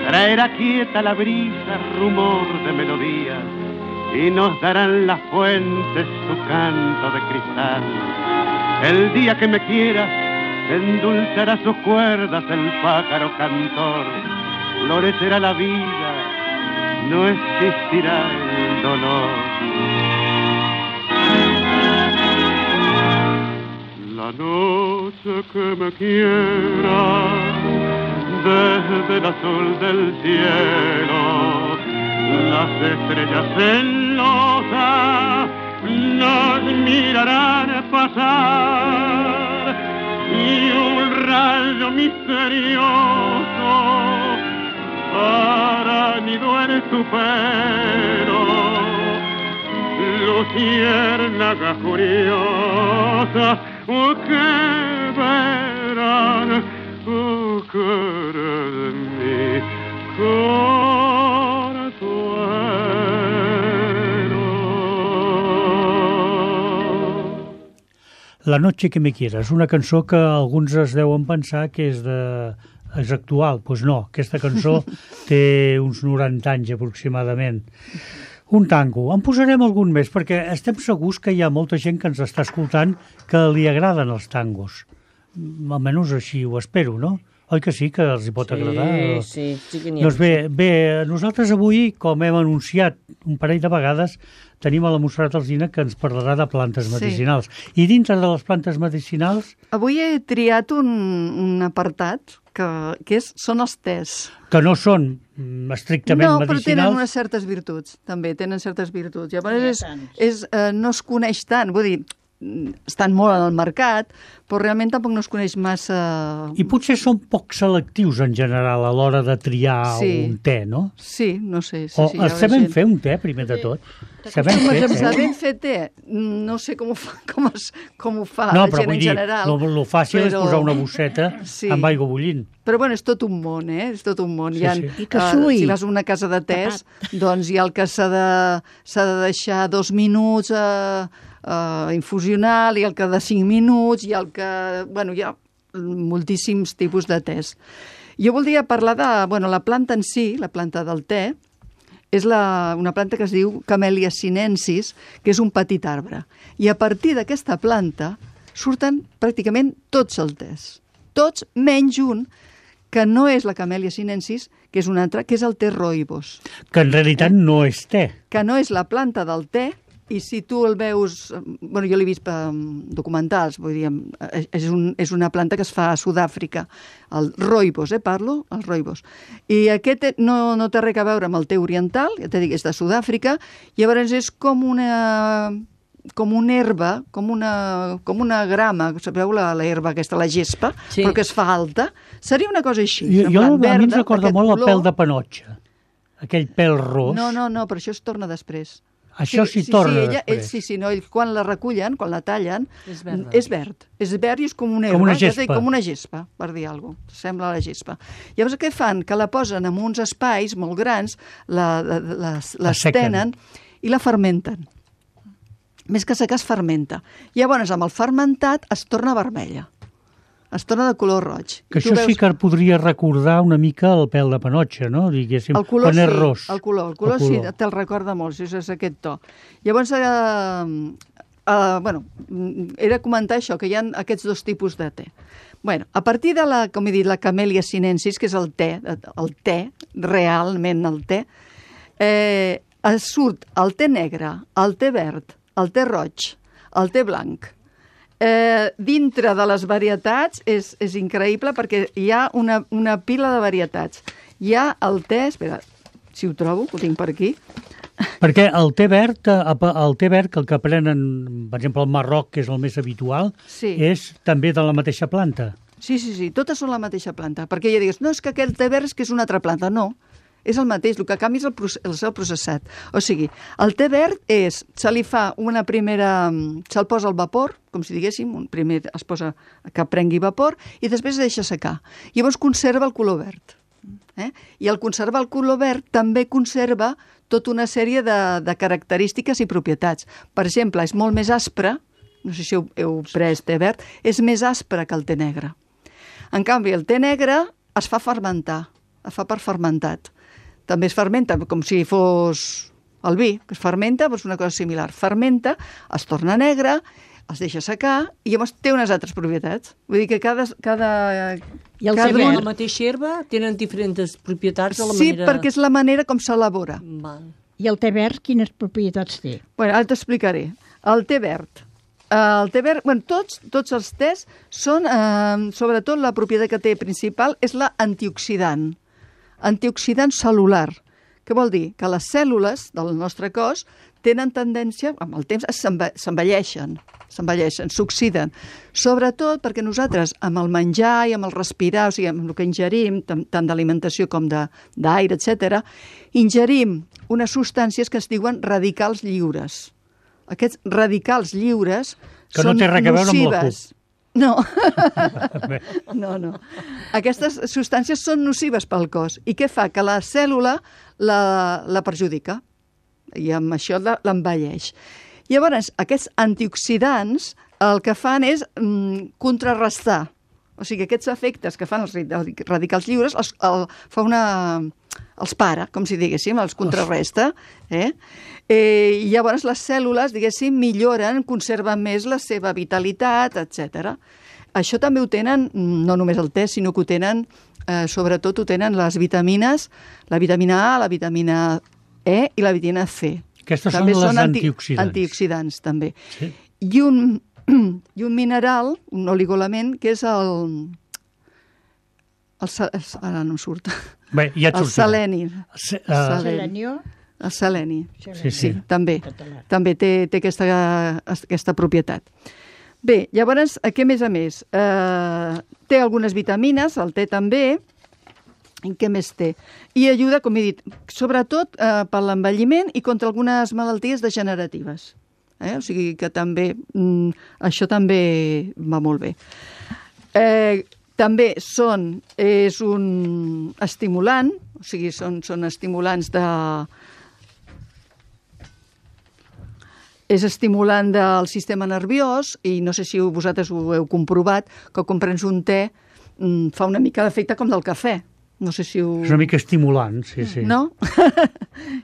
traerá quieta la brisa rumor de melodía, y nos darán las fuentes su canto de cristal. El día que me quiera, endulzará sus cuerdas el pájaro cantor, florecerá la vida, no existirá el dolor. La noche que me quiera, desde el azul del cielo, las estrellas celosas nos mirarán pasar y un rayo misterioso hará nido en tu pelo, luciérnaga curiosa, oh, que verán, oh, que eres mi La noche que me quieras, una cançó que alguns es deuen pensar que és, de, és actual. Doncs pues no, aquesta cançó té uns noranta anys aproximadament. Un tango. En posarem algun més, perquè estem segurs que hi ha molta gent que ens està escoltant que li agraden els tangos. Almenys així ho espero, no? Oi que sí, que els hi pot sí, agradar? Sí, sí que n'hi ha. Doncs bé, bé, nosaltres avui, com hem anunciat un parell de vegades, tenim a la Montserrat Alsina que ens parlarà de plantes medicinals. Sí. I dintre de les plantes medicinals... Avui he triat un, un apartat que, que és, són els tés. Que no són estrictament no, medicinals. No, però tenen unes certes virtuts, també, tenen certes virtuts. Llavors, és, és, eh, no es coneix tant, vull dir, estan molt al mercat, però realment tampoc no es coneix massa... I potser són poc selectius en general a l'hora de triar sí. un te, no? Sí, no sé. Sí, o sí, sabem gent... fer un te, primer de tot? Sabem fer te? Sabem fer te? No sé com ho fa, com es, com ho fa no, la gent en dir, general. No, però el fàcil però... és posar una bosseta sí. amb aigua bullint. Però bueno, és tot un món, eh? És tot un món. Sí, hi ha, sí. I que sui. Uh, si vas a una casa de tés, doncs hi ha el que s'ha de, s'ha de deixar dos minuts a... Uh, Uh, infusional, i el que de cinc minuts, i el que... Bueno, hi ha moltíssims tipus de tés. Jo voldria parlar de... Bueno, la planta en si, la planta del te, és la, una planta que es diu Camellia sinensis, que és un petit arbre. I a partir d'aquesta planta surten pràcticament tots els tés. Tots, menys un, que no és la Camellia sinensis, que és un altre, que és el te rooibos. Que en realitat eh? no és te. Que no és la planta del te, i si tu el veus... Bueno, jo l'he vist per documentals, vull dir, és, un, és una planta que es fa a Sud-àfrica, el rooibos, eh, parlo? El rooibos. I aquest no, no té res a veure amb el te oriental, ja t'he dit, és de Sud-àfrica, llavors és com una... com una herba, com una, com una grama, sabeu la, la herba aquesta, la gespa, sí. però que es fa alta. Seria una cosa així. Jo, jo a mi ens recorda molt el pèl de panotxa, aquell pèl ros. No, no, no, però això es torna després. Això s'hi sí, sí, torna sí, ella, després. Ells, sí, sí, no, ells, quan la recullen, quan la tallen, és verd. És verd, és verd i és com una herba, com una gespa, dir, com una gespa per dir alguna cosa, sembla la gespa. Llavors què fan? Que la posen en uns espais molt grans, la, la, la, les tenen i la fermenten. Més que secar es fermenta. Llavors amb el fermentat es torna vermella. Es torna de color roig. Que això veus... sí que podria recordar una mica el pèl de panotxa, no? Diguéssim, el color, quan és sí, ros. El color, el color, el color. Sí, te'l recorda molt, si és aquest to. Llavors, eh, eh, bueno, he de comentar això, que hi ha aquests dos tipus de te. Bueno, a partir de la, com he dit, la Camellia sinensis, que és el te, el te, realment el te, eh, surt el te negre, el te verd, el te roig, el te blanc. Eh, dintre de les varietats és, és increïble perquè hi ha una, una pila de varietats. Hi ha el te, espera, si ho trobo, ho tinc per aquí. Perquè el te verd, el te verd, el que prenen, per exemple, el Marroc, que és el més habitual, sí. és també de la mateixa planta. Sí, sí, sí, totes són la mateixa planta. Perquè ja digues, no, és que aquell te verd és que és una altra planta. No, és el mateix, el que canvia és el, process, el processat. O sigui, el te verd és, se li fa una primera, se'l posa al vapor, com si diguéssim, un primer es posa que prengui vapor i després es deixa secar. Llavors conserva el color verd. Eh? I al conservar el color verd també conserva tota una sèrie de, de característiques i propietats. Per exemple, és molt més aspre, no sé si heu, heu pres te verd, és més aspre que el te negre. En canvi, el te negre es fa fermentar, es fa per fermentat. També es fermenta com si fos el vi, que es fermenta, doncs una cosa similar. Fermenta, es torna negre, es deixa secar i llavors té unes altres propietats. Vull dir que cada... cada I el Cada té una verd. la mateixa herba tenen diferents propietats de la Sí, manera... perquè és la manera com s'elabora. Val. I el té verd, quines propietats té? Bueno, ara t'explicaré. El té verd. El té verd, bueno, tots, tots els tés són, eh, sobretot la propietat que té principal és la antioxidant. Antioxidant celular. Què vol dir? Que les cèl·lules del nostre cos tenen tendència, amb el temps, s'envelleixen, s'envelleixen, s'oxiden. Sobretot perquè nosaltres, amb el menjar i amb el respirar, o sigui, amb el que ingerim, tant d'alimentació com d'aire, etcètera, ingerim unes substàncies que es diuen radicals lliures. Aquests radicals lliures Que no són té res a veure amb la nocives. No. no, no. Aquestes substàncies són nocives pel cos. I què fa? Que la cèl·lula la, la perjudica i amb això l'envelleix. Llavors, aquests antioxidants el que fan és mm, contrarrestar. O sigui, aquests efectes que fan els radicals lliures els, el, fa una, els para, com si diguéssim, els contrarresta. Eh? Eh, I llavors les cèl·lules, diguéssim, milloren, conserven més la seva vitalitat, etcètera. Això també ho tenen, no només el te, sinó que ho tenen, eh, sobretot ho tenen les vitamines, la vitamina A, la vitamina E i la vitamina C. Aquestes també són les anti, antioxidants. Antioxidants, també. Sí. I un, i un mineral, un oligoelement, que és el... el, el ara no em surt. Bé, ja et el sortirà. seleni. Se, uh, Seleni. Selenió, El seleni. sí, Sí, sí. també. català. També té, té aquesta, aquesta propietat. Bé, llavors, què més a més? Eh, té algunes vitamines, el té també. I què més té? I ajuda, com he dit, sobretot eh, per l'envelliment i contra algunes malalties degeneratives. Eh? O sigui que també, mm, això també va molt bé. Eh, també són, és un estimulant, o sigui, són, són estimulants de... És estimulant del sistema nerviós i no sé si vosaltres ho heu comprovat, que quan prens un te mm, fa una mica d'efecte com del cafè. No sé si ho... és una mica estimulant, sí, sí. No?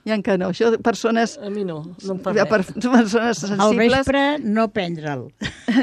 Ja que no. Això, persones... A mi no, no em fa per, res. persones sensibles... Al vespre no prendre'l.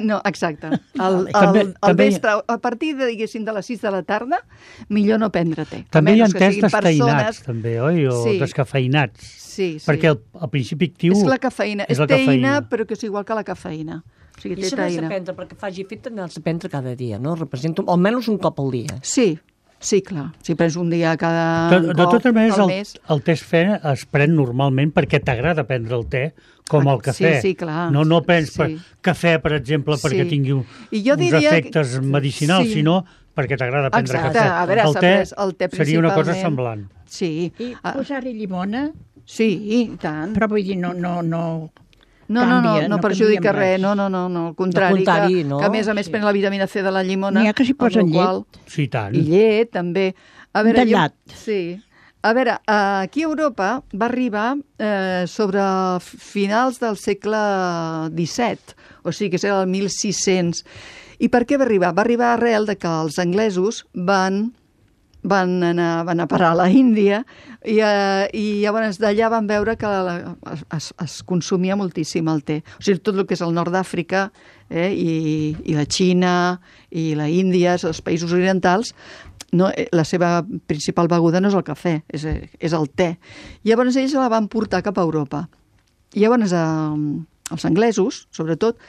No, exacte. El, el, També- el també- vespre, a partir de, diguéssim, de les sis de la tarda, millor no prendre te. A També hi ha menys que tés siguin desteinats, persones- també, oi? O Sí. descafeinats. Sí, sí. Perquè el, el principi actiu És la cafeïna. és És la teïna, cafeïna. però que és igual que la cafeïna. O sigui, I té això n'has de teïna. prendre, perquè faci efecte n'has de prendre cada dia, no? Representa almenys un cop al dia. Sí, sí, clar. Si prens un dia cada De, un de cop totes maneres, al el, mes... el té fe es pren normalment perquè t'agrada prendre el te, com Ah, el cafè. sí, sí, clar. No, no prens per Sí. cafè, per exemple, perquè Sí. tingui un, I jo uns diria efectes que- medicinals, sí. sinó perquè t'agrada prendre Exacte. cafè. A veure, el, s'ha te pres el te seria una cosa principalment. semblant. Sí. I Ah, posar-hi llimona, sí, i tant. però vull dir, no, no, no... No, no, no, canvia, no no perjudica canvia res, res. no, no, no, no, al contrari, Al contrari, que, no? que a més a més Sí. pren la vitamina C de la llimona. N'hi ha que s'hi amb posen la qual- Sí, i tant. I llet, també. A veure, Tallat. Jo, sí. A veure, aquí a Europa va arribar eh, sobre finals del segle disset, o sigui que és el mil sis-cents. I per què va arribar? Va arribar arrel de que els anglesos van van anar, van anar a parar a la Índia i, eh, i llavors d'allà van veure que la, es, es consumia moltíssim el te. O sigui, tot el que és el nord d'Àfrica eh, i, i la Xina i la Índia, els països orientals, no, la seva principal beguda no és el cafè, és, és el te. Llavors ells la van portar cap a Europa. I llavors eh, els anglesos, sobretot,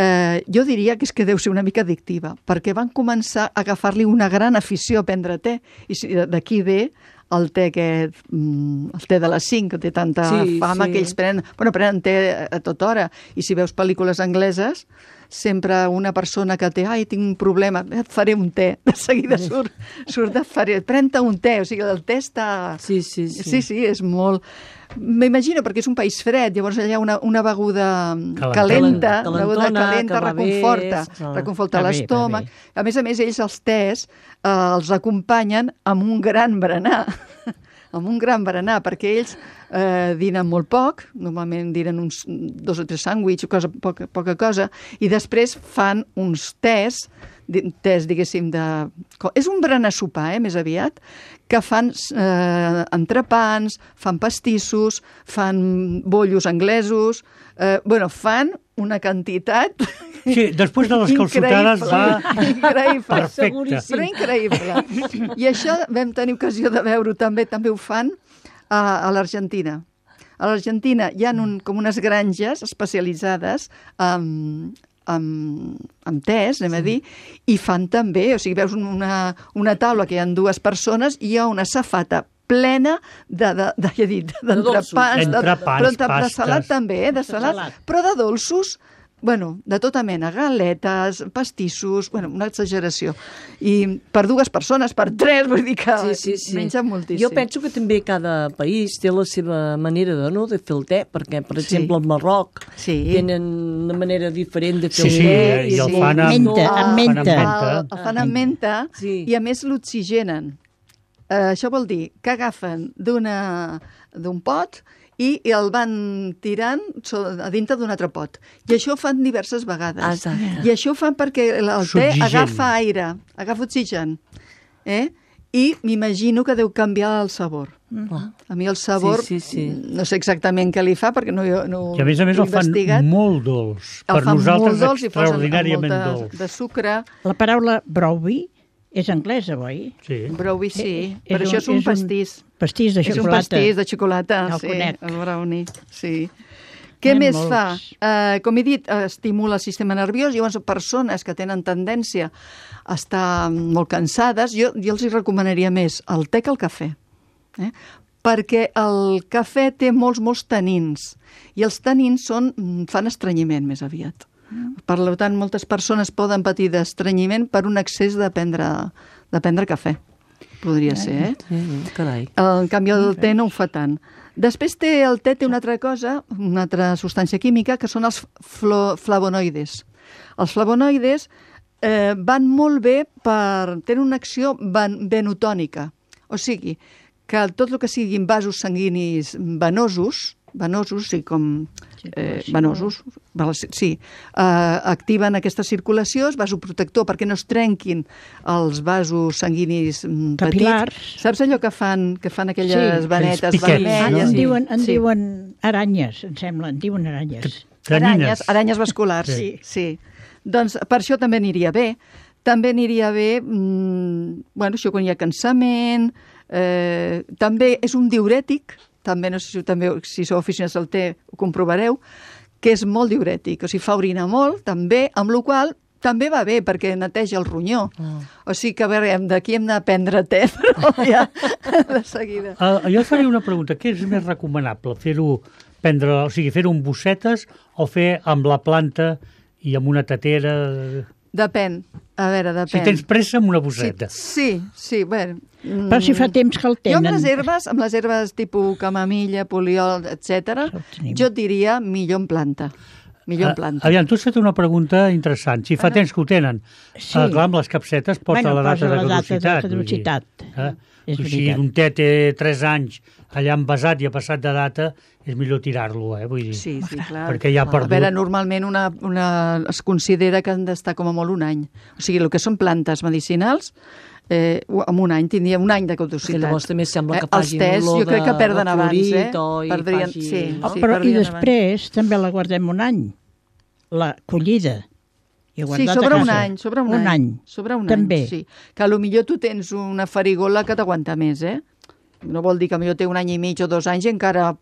Eh, jo diria que és que deu ser una mica addictiva, perquè van començar a agafar-li una gran afició a prendre te, i si- d'aquí ve el te aquest, mm, el te de les cinc, que té tanta Sí, fama, sí. que ells prenen, bueno, prenen te a, a tota hora, i si veus pel·lícules angleses, sempre una persona que té, ai, tinc un problema, et faré un te, de seguida surt, surt de faré, pren-te un te, o sigui, el te està... Sí, sí, sí. Sí, sí, és molt... M'imagino, perquè és un país fred, llavors allà una, una beguda Calenta. calenta, Calentona, una beguda calenta, que va bé, reconforta, sí. reconforta Va bé, l'estómac. va bé. A més a més, ells, els tés, eh, els acompanyen amb un gran berenar, amb un gran berenar, perquè ells eh, dinen molt poc, normalment dinen uns dos o tres sàndwichs, cosa, poca, poca cosa, i després fan uns tés, tés, diguéssim, de... És un berenar sopar, eh, més aviat, que fan eh, entrepans, fan pastissos, fan bollos anglesos, eh, bueno, fan una quantitat... Sí, després de les calçotades va... Increïble. Perfecte. Però increïble. I això vam tenir ocasió de veure-ho també, també ho fan a, a l'Argentina. A l'Argentina hi ha un, com unes granges especialitzades amb, amb, amb tés, anem a dir, i fan també, o sigui, veus una, una taula que hi ha dues persones i hi ha una safata plena de, de, de, ja he dit, d'entrepans, de, Entrepans, però de, de pastes. salat també, eh, de salat, però de dolços, bueno, de tota mena, galetes, pastissos, bueno, una exageració. I per dues persones, per tres, vull dir que Sí, sí, sí. mengen moltíssim. Jo penso que també cada país té la seva manera de, no, de fer el te, perquè, per Sí. exemple, al Marroc Sí. tenen una manera diferent de fer Sí, el sí, te. i el sí. fan amb... Menta, fan amb menta. menta. El, el fan amb menta Sí. i a més l'oxigenen. Uh, això vol dir que agafen d'una d'un pot i el van tirant so, a dintre d'un altre pot. I això ho fan diverses vegades. Exacte. I això ho fan perquè el, el te S'oxigen. agafa aire, agafa oxigen. Eh? I m'imagino que deu canviar el sabor. Mm. A mi el sabor, Sí, sí, sí. no sé exactament què li fa, perquè no, no I a més a més ho he el fan investigat. molt dolç. El Per fan nosaltres molt dolç i posen extraordinàriament amb molt dolç. de, de sucre. La paraula brownie és anglesa, oi? Sí. Brownie, sí. Eh, Però això és un pastís. Pastís de És un xocolata. pastís de xocolata, Ja el sí, conec. el brownie, sí. Què N'hi ha més molts. fa? Uh, com he dit, uh, estimula el sistema nerviós. Llavors, persones que tenen tendència a estar molt cansades, jo, jo els hi recomanaria més el te que el cafè. Eh? Perquè el cafè té molts, molts tanins. I els tanins són, fan estrenyiment més aviat. Per tant, moltes persones poden patir d'estrenyiment per un excés de prendre, de prendre cafè. Podria ser, eh? Sí, carai. En canvi, el te no ho fa tant. Després té, el te té una altra cosa, una altra substància química, que són els flo, flavonoides. Els flavonoides eh, van molt bé per... tenen una acció van, venotònica. O sigui, que tot el que siguin vasos sanguinis venosos, venosos, sí, com eh, venosos, sí, eh, activen aquesta circulació, és vasoprotector perquè no es trenquin els vasos sanguinis mm, Capil·lars. petits. Saps allò que fan, que fan aquelles Sí, vanetes aquells piquets, vermelles? no? En Sí. diuen, en Sí. diuen aranyes, em sembla, en diuen aranyes. Aranyes, aranyes vasculars, Sí. sí. sí. Doncs per això també aniria bé. També aniria bé, mmm, bueno, això quan hi ha cansament, eh, també és un diurètic, també no sé si, també, si sou aficionats al te ho comprovareu, que és molt diurètic, o sigui, fa orinar molt, també, amb la qual també va bé, perquè neteja el ronyó. Ah. O sigui que, a veure, d'aquí hem d'aprendre te, però ja de seguida. Uh, jo faré una pregunta. Què és més recomanable? Fer-ho prendre, o sigui, fer-ho amb bossetes o fer amb la planta i amb una tatera? Depèn, a veure, depèn. Si tens pressa, amb una bosseta. Sí, sí, bueno. Però si fa temps que el Jo amb tenen... les herbes, amb les herbes tipus camamilla, poliol, etcètera, Això ho tenim. jo et diria millor en planta. Millor en planta. Aviam, tu has fet una pregunta interessant. Si fa temps que ho tenen, Sí. ah, clar, amb les capsetes porta Bueno, la data posa de la data de caducitat. caducitat. Vull dir, eh? És O sigui, veritat. un te té tres anys allà envasat i ha passat de data, és millor tirar-lo, eh? Vull dir, Sí, sí, clar. perquè ja ha A perdut. veure, normalment una, una, es considera que han d'estar com a molt un any. O sigui, el que són plantes medicinals, eh, amb un any, tindria un any de Perquè caducitat. llavors també sembla que Eh, els faci tes, olor jo crec que de- perden de abans, eh? florit o i Perdrien, faci- sí, no? sí, Però i perdrien després també la guardem un any, la collida. I Sí, guardat a sobre un casa. any, sobre un, un any. any. Sobre un També. any, sí. Que potser tu tens una farigola que t'aguanta més, eh? No vol dir que potser té un any i mig o dos anys i encara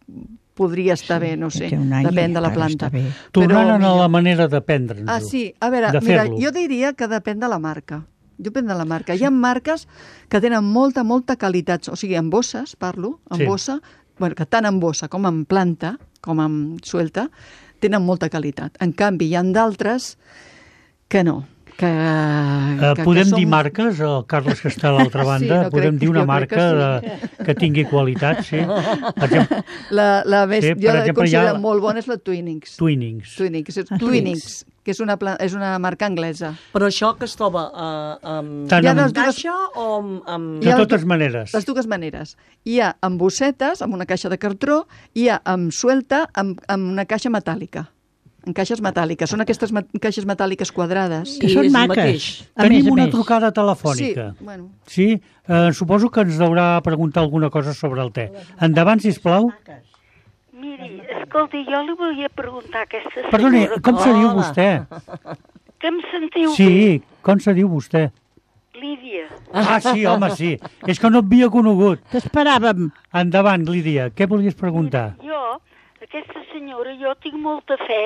podria estar bé, no sé, té un any depèn i de la encara planta. està bé. Tornant a millor- la manera de prendre'ns-ho. Ah, sí, a veure, de mira, fer-lo. jo diria que depèn de la marca. Depèn de la marca. Hi ha marques que tenen molta, molta qualitat, o sigui, en bosses, parlo, en Sí. bossa, bueno, que tant en bossa com en planta, com en suelta, tenen molta qualitat. En canvi, hi ha d'altres que no. Que, Uh, que, podem que són... dir marques, el Carles que està a l'altra Sí, banda, no podem crec- dir una jo crec marca que de, que tingui qualitat, sí. Per exemple, La, la més, Sí, sí, per jo la exemple, considero hi ha- molt bona és la Twinings. Twinings. Twinings, és, Ah, Twinings, que és una, és una marca anglesa. Però això que es troba uh, amb Tant amb... caixa o amb... amb... De totes maneres. Les dues maneres. Hi ha amb bossetes, amb una caixa de cartró, hi ha amb suelta, amb, amb una caixa metàl·lica. En caixes metàl·liques. Són aquestes ma caixes metàl·liques quadrades. Que són maques. Tenim una trucada telefònica. Sí, bueno. Sí? Eh, suposo que ens deurà preguntar alguna cosa sobre el te. Endavant, sisplau. Miri, escolti, jo li volia preguntar a aquesta senyora... Perdoni, com se diu vostè? Que em sentiu Sí, bé? com se diu vostè? Lídia. Ah, sí, home, sí. És que no et havia conegut. T'esperàvem. Endavant, Lídia, què volies preguntar? Jo, aquesta senyora, jo tinc molta fe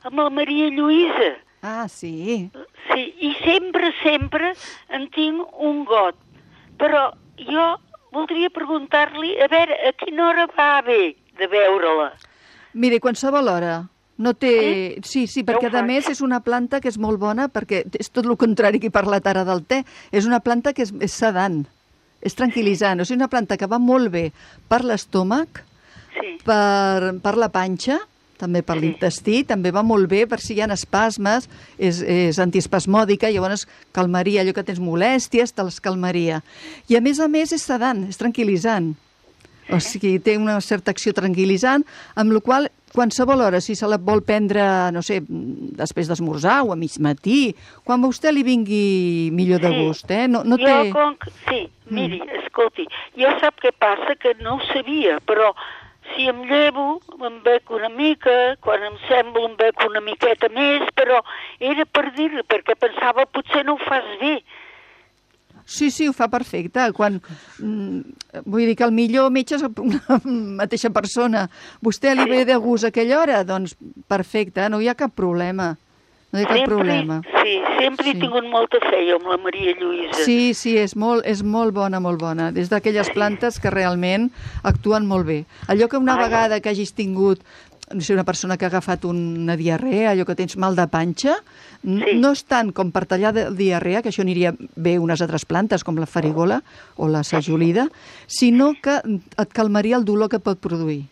amb la Maria Lluïsa. Ah, sí. Sí, i sempre, sempre en tinc un got. Però jo voldria preguntar-li, a veure, a quina hora va bé de veure-la? Mire, qualsevol hora. No té... Sí, sí, perquè Ja ho a més és una planta que és molt bona, perquè és tot el contrari que he parlat ara del te. És una planta que és, és sedant, és tranquil·litzant. O sigui, una planta que va molt bé per l'estómac, Sí. per, per la panxa, també per Sí. l'intestí, també va molt bé per si hi ha espasmes, és, és antiespasmòdica, llavors calmaria allò que tens molèsties, te'ls calmaria. I a més a més és sedant, és tranquil·litzant. O sigui, té una certa acció tranquil·litzant, amb la qual qualsevol hora, si se la vol prendre, no sé, després d'esmorzar o a mig matí, quan a vostè li vingui millor de Sí. gust, eh? No, no jo, té... com que... Sí, miri, escolti, jo sap què passa, que no ho sabia, però si em llevo, em bec una mica, quan em sembla em bec una miqueta més, però era per dir-li, perquè pensava potser no ho fas bé. Sí, sí, ho fa perfecte. Quan, mm, vull dir que el millor metge és una mateixa persona. Vostè li ve de gust a aquella hora? Doncs perfecte, no hi ha cap problema. No hi ha cap sempre, problema. Sí, sempre Sí. he tingut molta fe jo amb la Maria Lluïsa. Sí, sí, és molt, és molt bona, molt bona. Des d'aquelles plantes que realment actuen molt bé. Allò que una Ai. vegada que hagis tingut, no sé, una persona que ha agafat una diarrea, allò que tens mal de panxa, n- Sí. no és tant com per tallar de diarrea, que això aniria bé unes altres plantes, com la farigola o la sajolida, sinó que et calmaria el dolor que pot produir.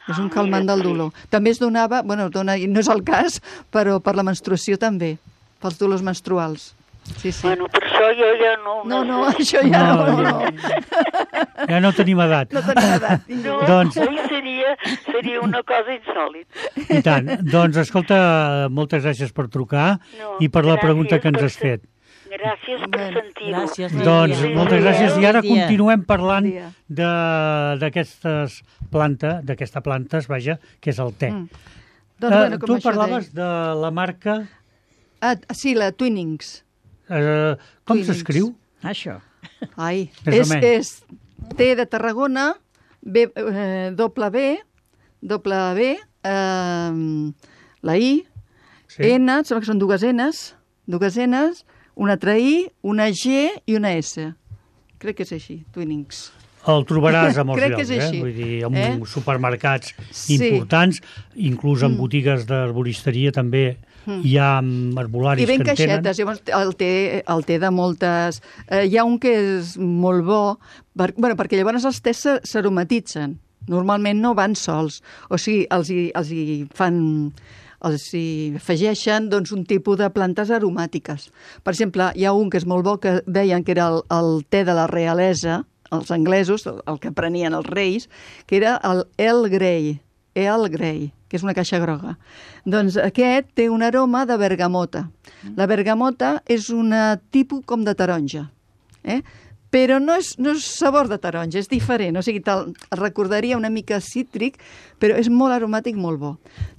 És un Ah, calmant mira, del sí. dolor. També es donava, bueno, dona, no és el cas, però per la menstruació també, pels dolors menstruals. Sí, sí. Bueno, per això jo ja no... No, no, això ja no, No, no. ja- Ja no tenim edat. No tenim edat. No, Doncs- oi, seria, seria una cosa insòlita. I tant. Doncs, escolta, moltes gràcies per trucar No, i per la gràcies pregunta que ens per has fet. Gràcies per Bueno, sentir-ho. gràcies, Doncs Lídia. moltes gràcies. I ara Lídia. continuem parlant Bon dia. de- d'aquestes plantes, d'aquesta plantes, vaja, que és el te. Mm. Doncs, Eh, bueno, com tu això parlaves de la marca... Ah, sí, la Twinings. Eh, com Twinings. s'escriu? Això. Ai, Més o és, menys. és T de Tarragona, B, eh, doble B, doble B, eh, la I, Sí. N, em sembla que són dues Ns, dues Ns, una altra I, una G i una S. Crec que és així, Twinings. El trobaràs a molts Crec que llocs, és eh? així. Vull dir, en Eh? supermercats Sí. importants, inclús en Mm. botigues d'arboristeria també hi ha mm, arbolaris I ben que en tenen. caixetes, llavors el té, el té de moltes... Eh, hi ha un que és molt bo, per, bueno, perquè llavors els tés s'ar- s'aromatitzen. Normalment no van sols. O sigui, els hi, els hi fan... els hi afegeixen doncs, un tipus de plantes aromàtiques. Per exemple, hi ha un que és molt bo, que deien que era el, el te de la realesa, els anglesos, el, el que prenien els reis, que era el Earl Grey, Earl Grey, que és una caixa groga. Doncs aquest té un aroma de bergamota. La bergamota és un tipus com de taronja, eh? Però no és, no és sabor de taronja, és diferent. O sigui, te'l recordaria una mica cítric, però és molt aromàtic, molt bo.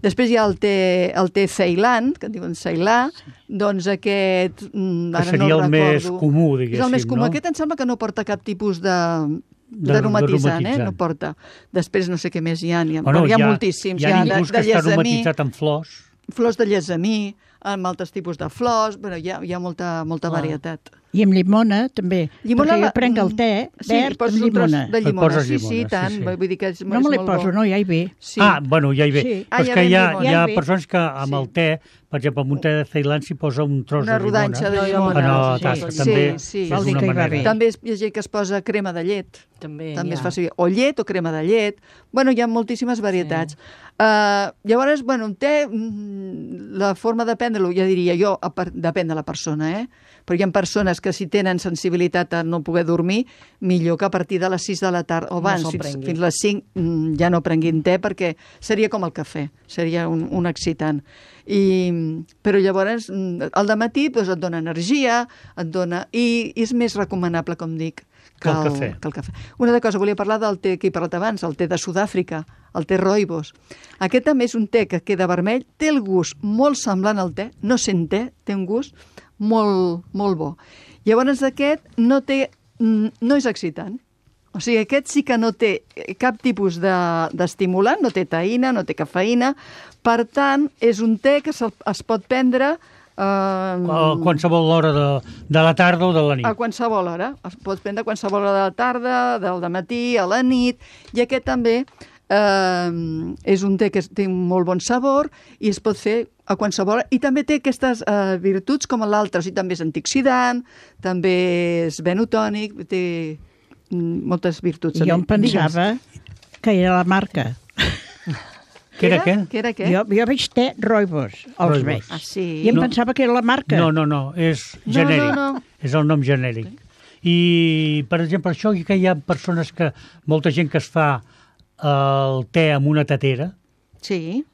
Després hi ha el té, el té Ceilan, que en diuen Ceilà, doncs aquest... mm, Que ara seria no el el més recordo. comú, És el diguéssim, més comú. no? Aquest em sembla que no porta cap tipus de De- d'aromatitzant, eh? d'aromatitzant. No porta. Després no sé què més hi ha. Hi ha, Bueno, bueno, hi ha moltíssims. Hi ha, de, inclús de que està llesamí, aromatitzat amb flors. flors de llesamí, amb altres tipus de flors. Bueno, hi ha, hi ha molta, molta Clar. varietat. I amb llimona, també. Llimona, perquè la- jo prenc el te sí, verd hi poses amb un tros llimona. de Et llimona. poses Sí, sí, llimona, tant. sí, sí. Vull dir que és, No és me li molt poso, bo. no, ja hi ve. Sí. Ah, bueno, ja hi ve. Sí. Ah, Però és ja que ve hi ha, llimona. hi ha Ja hi ve. persones que amb el te, per exemple, amb un te de Ceilan s'hi posa un tros Una de llimona. rodanxa de Jo- jo llimona. Ah, no, Sí, tasta, sí, també sí. és Vol dir una que hi va manera. bé. També hi ha gent que es posa crema de llet. També, També es ja. fa servir o llet o crema de llet. Bueno, hi ha moltíssimes varietats. Sí. Uh, llavors, bueno, un te, mm, la forma de prendre prendre-lo, ja diria jo, a per, depèn de la persona, eh? Però hi ha persones que si tenen sensibilitat a no poder dormir, millor que a partir de les sis de la tarda, o abans, No se'l fins, prenguin. fins les cinc, mm, ja no prenguin te, perquè seria com el cafè, seria un, un excitant. I, però llavors, mm, al dematí doncs, et dona energia, et dona... I, i és més recomanable, com dic, Que el cafè. Que el cafè. Una altra cosa, volia parlar del te que he parlat abans, el te de Sud-àfrica, el te rooibos. Aquest també és un te que queda vermell, té el gust molt semblant al te, no sent te, té un gust molt, molt bo. Llavors aquest no té, no és excitant. O sigui, aquest sí que no té cap tipus de- d'estimulant, no té taïna, no té cafeïna, per tant, és un te que se'l- es pot prendre eh, A qualsevol hora de, de la tarda o de la nit. a qualsevol hora. Es pot prendre a qualsevol hora de la tarda, del dematí, a la nit, i aquest també eh, és un te que té un molt bon sabor i es pot fer a qualsevol hora. I també té aquestes eh, virtuts com l'altre, o sigui, també és antioxidant, també és benotònic, té mm, moltes virtuts. Jo em pensava que era la marca. Què era què? Què era què? Jo, jo veig te rooibos, els Rooibos. veig. Ah, sí? I em No. pensava que era la marca. No, no, no, és No, genèric. no, no. És el nom genèric. I, per exemple, això que hi ha persones que... Molta gent que es fa el te amb una tatera. Sí.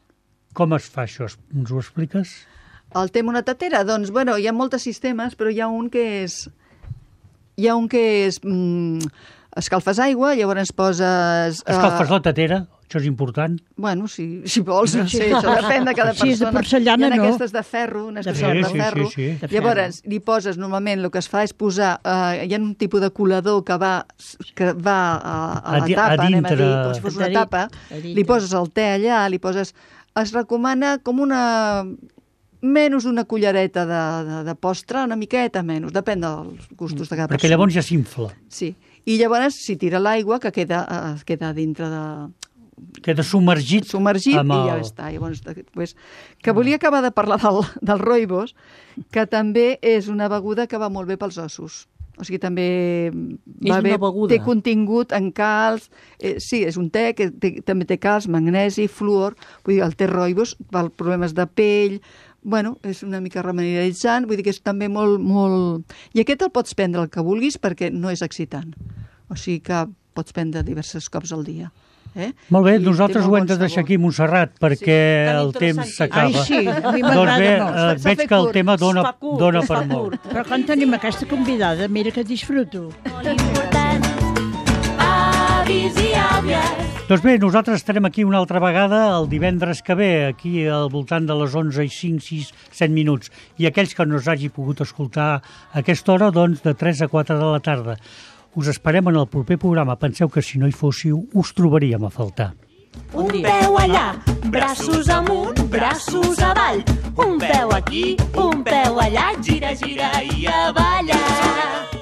Com es fa això? Ens ho expliques? El té amb una tatera? Doncs, bueno, hi ha molts sistemes, però hi ha un que és... Hi ha un que és... Mm, escalfes aigua, llavors poses... eh, Escalfes la tatera, això és important. Bueno, si, si vols, no sé, això depèn de cada Si és de persona. porcellana, Hi ha no. aquestes de ferro, unes que De són ferro. de Sí, sí, ferro. sí, sí. De Llavors, li poses, normalment, el que es fa és posar... Eh, hi ha un tipus de colador que va, que va a, a A la di- a tapa, anem a dir, dintre. com si fos A una dintre. tapa, A dintre. li poses el te allà, li poses... Es recomana com una... menys una cullereta de, de, de postre, una miqueta menys, depèn dels gustos de cada Perquè persona. llavors ja s'infla. Sí. I llavors, si tira l'aigua, que queda, eh, queda dintre de, Queda submergit. submergit amb i ja el- està. Llavors, pues, que volia acabar de parlar del, del rooibos, que també és una beguda que va molt bé pels ossos. O sigui, també va una bé, beguda. té contingut en calç, eh, sí, és un te que té, també té calç, magnesi, fluor, vull dir, el te rooibos per problemes de pell, bueno, és una mica remedialitzant, vull dir que és també molt, molt... I aquest el pots prendre el que vulguis perquè no és excitant. O sigui que pots prendre diversos cops al dia. Eh? Molt bé, I té nosaltres molt ho hem bon de deixar sabor. aquí, Montserrat, perquè tan el temps interessant. s'acaba. Ai, sí, a mi Doncs m'agrada bé, molt. eh, S'ha veig fet que el curt. tema dona, Es fa curt, dona es per fa molt. curt. Però quan tenim aquesta convidada, mira que disfruto. Molt important. Avis i àvies. Doncs bé, nosaltres estarem aquí una altra vegada el divendres que ve, aquí al voltant de les onze i cinc, sis, set minuts. I aquells que no us hagi pogut escoltar a aquesta hora, doncs de tres a quatre de la tarda. Us esperem en el proper programa. Penseu que si no hi fóssiu, us trobaríem a faltar. Un peu allà, braços amunt, braços avall. Un peu aquí, un peu allà, gira, gira i a ballar.